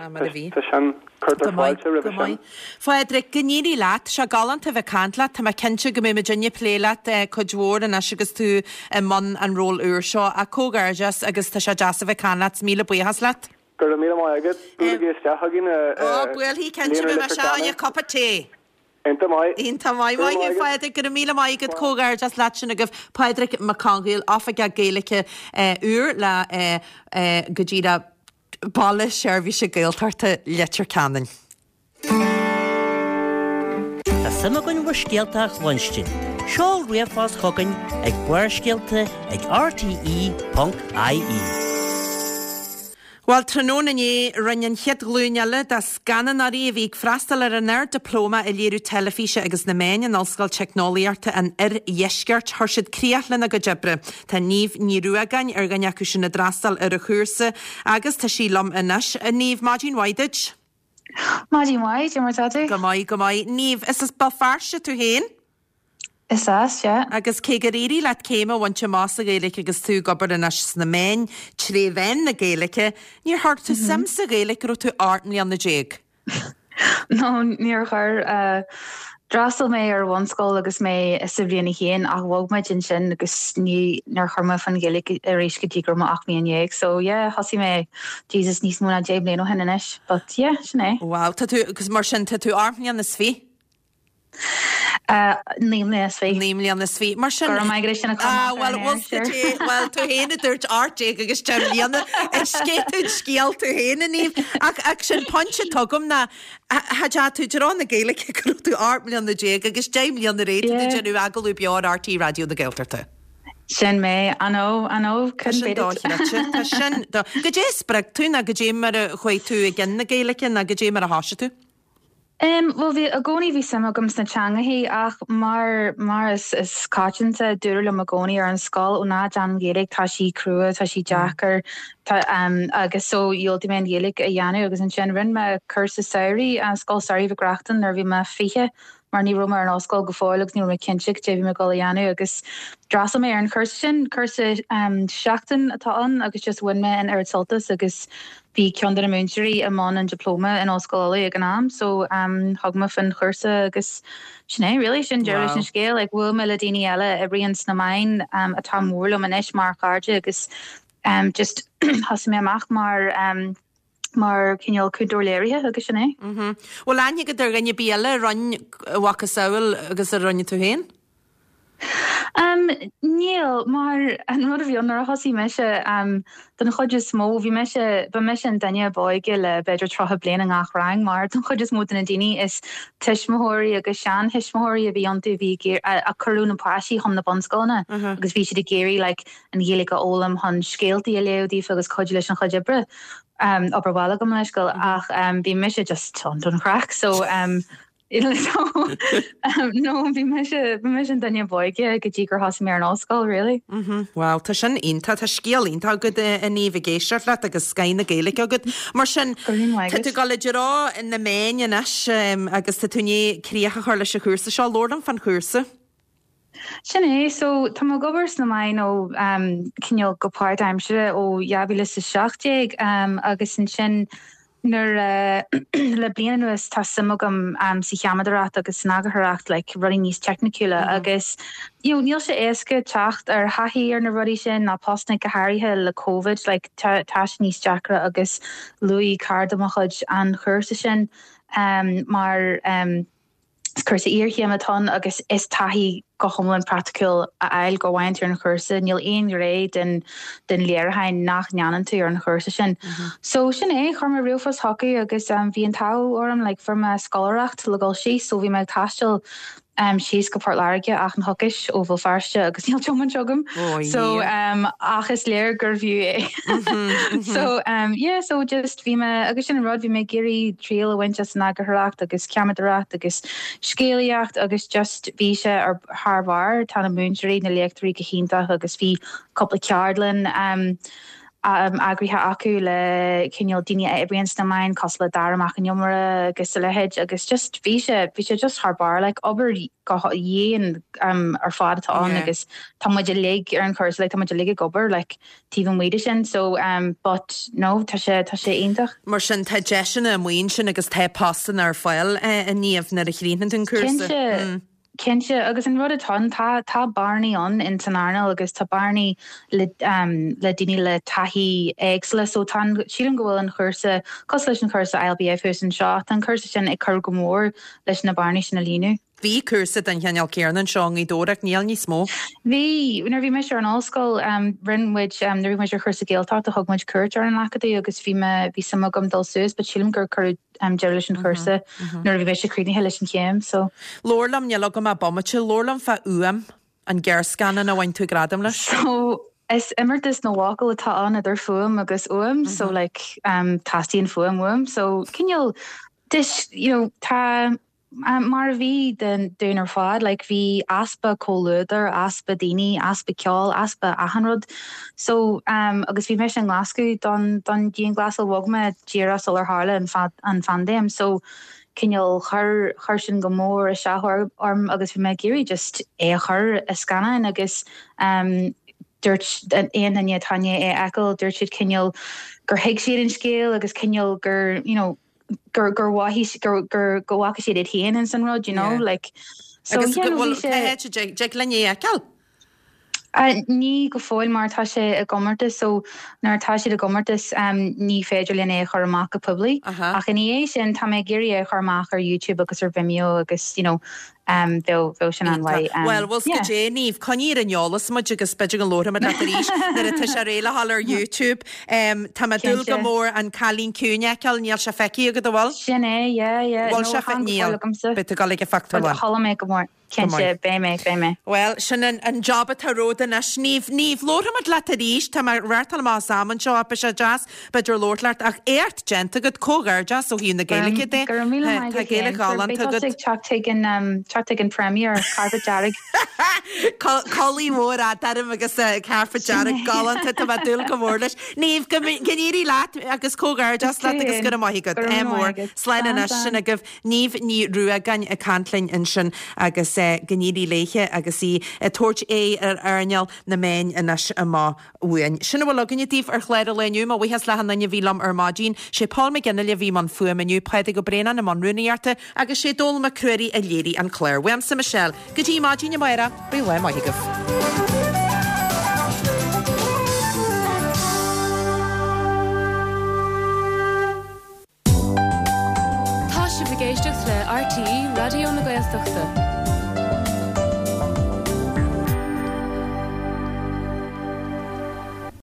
tá sin, cuirtear fáilte roimhe sin. Phádraig, go n-éirí leat. Sé galánta a bheith ag caint leat. Tá mé cinnte go mbeidh muidinne ag plé leat cuid mhór anois agus tú i mbun an ról úr seo. Ach comhghairdeas agus tá sé deas a bheith ag caint leat. Míle buíochas leat. Go raibh míle maith agat. Buailigí isteach chugainn i Ó, buailfidh, cinnte, beidh mé isteach le cupa tae. Iontach maith. Iontach maith. Maith thú, Phádraig. Go raibh míle maith agat. Comhghairdeas leat sin agaibh. Pádraig Mac Conghail, Oifigeach Gaeilge úr le go díreach Baile Seirbhíse Gaeltachta Leitir Ceanainn. Tá suim againn bhur scéalta a chluinstin. Seol ríomhphost chugainn ag barrscéalta ag rte.ie. Bhuel, tráthnóna inné, rinne an chéad ghlúin eile de scannánóirí a bhí ag freastal ar an Ard-Dioplóma i Léiriú Teilifíse agus na Meáin in Ollscoil Teicneolaíochta an Oirdheiscirt, chuir siad críoch lena gcuid oibre. Tá Niamh Ní Ruagáin ar dhuine acu sin a d'fhreastail ar an chúrsa agus tá sí liom anois. A Niamh, maidin mhaith duit. Maidin mhaith, cad é mar tá tú? Go maith, go maith. Niamh, is as Béal Feirste tú féin? Is as, yeah. Agus cé gur éirigh leat céim a bhaint amach sa Ghaeilge agus tú ag obair anois sna meáin tré mheán na Gaeilge, níor chuir tú suim sa Ghaeilge go raibh tú 18 mbliana? No, níor chuir. D'fhreastail mé ar bhunscoil agus mé sa bhliain 1 ach bhog muid ansin agus ní, níor chuir mé faoin Ghaeilge arís go dtí go raibh mé 18 mbliana. So yeah, thosaigh mé, Jesus, níos mó ná 10 mbliana ó shin anois. But yeah, sin é. Wow, tá tú, agus mar sin, tá tú 8 mbliana is fi? 9 mbliana is fi. 9 mbliana is fi. Mar sin. Go raibh maith agat as sin a chur Ah, bhuel, bhfuil scoil é, bhuel, tú féin a dúirt 18 agus 10 mbliana, is scéal tú an scéal tú féin, a Niamh. Ach, ach sin pointe atá agam ná, Cha dteachaigh tú i dtreo na Gaeilge go raibh tú 18 mbliana agus 10 mbliana ar aghaidh tá tú ag déanamh agallamh beo ar RTÉ Raidió na Gaeltachta. Sin mé, I know, I know, Tá sin dochreidte, tá sin do. Goidé a spreag tú nó goidé mar a chuaigh tú i gcionn na Gaeilge nó goidé mar a thoisigh tú? Em, bhuel bhí, i gcónaí bhí suim agam sna teangachaí ach mar, mar is, is coitianta, dúradh liom i gcónaí ar an scoil, ó ná déan an Ghaeilge, tá sí crua, tá sí deacair, Tá, agus so dhiúltaigh mé an Ghaeilge a dhéanamh agus ansin rinne mé cúrsa samhraidh, Scoil Samhraidh Mhic Reachtain nuair a bhí mé 20 mar ní raibh mé ar an ollscoil go fóill agus ní raibh mé cinnte cad é a bhí mé ag dul a dhéanamh agus d'fhreastail mé ar an chúrsa sin, cúrsa seachtain atá ann agus just bhain mé an oiread sult as agus bhí ceann de na múinteoirí i mbun an dioplóma in Ollscoil Uladh ag an am so thug mé faoin chúrsa agus Sin é really, sin deireadh leis an scéal. Like bhuail mé le daoine eile a oibríonn sna meáin atá mór liom anois mar chairde agus Just thosaigh mé amach mar mar cineál cúntóir léirithe agus sin é. Bhfuil aithne agat ar dhuine ar bith eile a rinne a mhacasamhail agus a rinne tú féin? Níl, mar an rud a bhí ann nuair a thosaigh mise, don chuid is mó, bhí mise, ba mise an duine ab óige le b'fhéidir 30 bliain i ngach rang mar don chuid is mó de na daoine is tuismitheoirí agus seanthuismitheoirí a bhí iontu a bhí ag iarraidh, a cuireadh na páistí chun na bunscoileanna agus bhí siad ag iarraidh like an Ghaeilge a fhoghlaim chun scéaltaí a léamh daofa agus cuidiú leis an chuid oibre, obair bhaile gabh mo leithscéal, ach bhí mise just ann don chraic so so no bhí mise bhí mise an duine ab óige go dtí gur thosaigh mé ar an ollscoil really. Wow, tá sin iontach, tá scéal iontach agat a Niamh ag éisteacht leat agus scoth na Gaeilge agat. Mar sin, tá tú ag dul i dtreo na meáin anois agus tá tú i ndiaidh críoch a chur leis an chúrsa seo, labhair liom fán chúrsa. Sin é, so tá mé ag obair sna meáin ó cineál go páirtaimseartha ó 2017 agus ansin. Nuair a, le bliain anuas tá suim agam sa cheamaradóireacht agus san eagarthóireacht, like rudaí níos teicniciúla agus you know níl sé éasca teacht ar thaithí ar na rudaí sin ná postanna go háirithe le Covid, like tá tá sé níos deacra agus luaigh cara de mo chuid an chúrsa sin mar Is cúrsa iarchéime atá ann agus is taithí go hiomlán praiticiúil a fháil go bhfaigheann tú ar an chúrsa. Níl aon ghné den den léiriúchán nach ndéanann tú ar an chúrsa sin. So sin é, chuir mé ríomhphost chucu agus bhí an t-ádh orm like fuair mé scoláireacht le dul síos so bhí mé ag taisteal síos go Port Láirge achan choicís ó Bhéal Feirste agus níl tiomáint agam so ach is léir gurbh fhiú é. So yeah so just bhí mé agus sin an rud bhí mé ag iarraidh triail a bhaint as an eagarthóireacht agus ceamaradóireacht agus scéalaíocht agus just bhí sé ar thar barr tá na múinteoirí na léachtóirí go hiontach agus bhí cúpla ceardlann eagraithe acu le cineál daoine a oibríonn sna meáin cosúil le Dara Mac an Iomaire agus a leithéid agus just bhí sé bhí sé just thar barr like obair go dhian ar fad atá ann agus tá muid uilig ar an chúrsa like tá muid uilig ag obair like taobh amuigh de sin so but no tá sé tá sé iontach. Mar sin tá deiseanna amuigh ansin agus tá postanna ar fáil a Niamh nuair a chríochnaíonn tú an cúrsa. Cinnte. Cinnte, agus an rud atá ann, tá, tá bearnaí ann in san earnáil agus tá bearnaí le, le daoine le taithí éagsúla so tá an, sílim go bhfuil an chúrsa, cosúil leis an chúrsa ILBF thuas anseo, tá an cúrsa sin ag cur go mór leis na bearnaí sin a líonadh. Bhí cúrsa den chineál céanna anseo i nGaoth Dobhair ach níl níos mó. Bhí, nuair a bhí mise ar an ollscoil, rinne muid, nuair a bhí muid ar chúrsa Gaeltachta thug muid cuairt ar an Acadamh agus bhí mé, bhí suim agam dul suas but sílim gur cuireadh deireadh leis an chúrsa nuair a bhí mise críochnaithe leis an chéim so. Labhair liom, níl agam ach bomaite, labhair liom fá Uaim, an gearrscannán a bhain tú gradam leis. So is imeartas na bhfocal atá ann idir fuaim agus uaim so like teastaíonn fuaim uaim so cineál this you know tá Mar a bhí dúinn ar fad, like bhí easpa comhluadair, easpa daoine, easpa ceoil, easpa achan rud. So, agus bhí mise i nGlaschú don don dianghlasáil, bhog mé díreach sular tharla an an phaindéim. So, cineál chuir chuir sin go mór isteach orm agus bhí mé ag iarraidh just é a chur i scannán agus dúirt aon duine atá i ndiaidh é a fheiceáil, dúirt siad cineál gur thuig siad an scéal agus cineál gur, you know, gur gur mhothaigh gur gur go bhfaca siad iad féin ins an rud, you know, Yeah. like so Agus yeah go no bhfuil bhí sé cá háit a dtig dtig linn é a fheiceáil? Uh, ní go fóill mar tá sé i gcomórtas so nuair atá siad i gcomórtas um, ní féidir linn é a chur amach go poiblí. Aha. Ach ina dhiaidh sin tá mé ag iarraidh é a chur amach ar YouTube agus ar Vimeo agus you know Bheadh, bheadh sin an-mhaith. Bhuel, bhfuil 's Yeah. goidé, Niamh, coinnigh ar an eolas muid agus b'fhéidir go labharfaimid leat arís nuair atá sé réidh le dhul ar YouTube. Tá mé ag dúil go Cinnte. mór an Cailín Ciúin a fheiceáil, níl sé feicthe agat, an bhfuil? Sin é, yeah, yeah. Bhfuil No, sé fe, chan go níl. fóill agamsa. Beidh tú ag dul ag an But phictiúrlann. chuala mé go mór. Go Cinnte, maith. beidh mé, beidh mé. Bhuel, sin an, an job atá romhat anois. Niamh, Niamh, labharfaimid leat arís, tá mé ag reáchtáil amach as am anseo ach beidh sé deas b'fhéidir labhairt leat ach éacht déanta agat, comhghairdeas ó thaobh na Gaeilge de. Go raibh míle maith Tá agat Gaeilge féin. ghalánta Beidh agat. tusa ag teacht chuig an, teacht chuig an premiere, carpet dearg. Culaith mhór fhada orm agus carpet dearg galánta, tá mé ag dúil go mór leis. Niamh, go n-éirí leat agus comhghairdeas leat agus go raibh maith agat. Go raibh Ádh míle mór. maith agat. Slán Slán, anois slán. sin agaibh. Niamh Ní Ruagáin ag caint linn ansin agus go n-éirí léithe agus í ag tabhairt aghaidh ar earnáil na meáin anois amach uainn. Sin a bhfuil againne daoibh ar chlár an lae inniu. Mo bhuíochas le achan duine a bhí liom ar maidin. Sé Paul McGinley a bhí i mbun fuaime inniu, Pádraig Ó Braonáin i mbun rúnaíochta agus sé Dónall Mac Ruairí a léirigh an clár. Uaimse Michelle, go dtí maidin amárach, bíodh lá maith agaibh. Tá sibh ag éisteacht le RTÉ Raidió na Gaeltachta.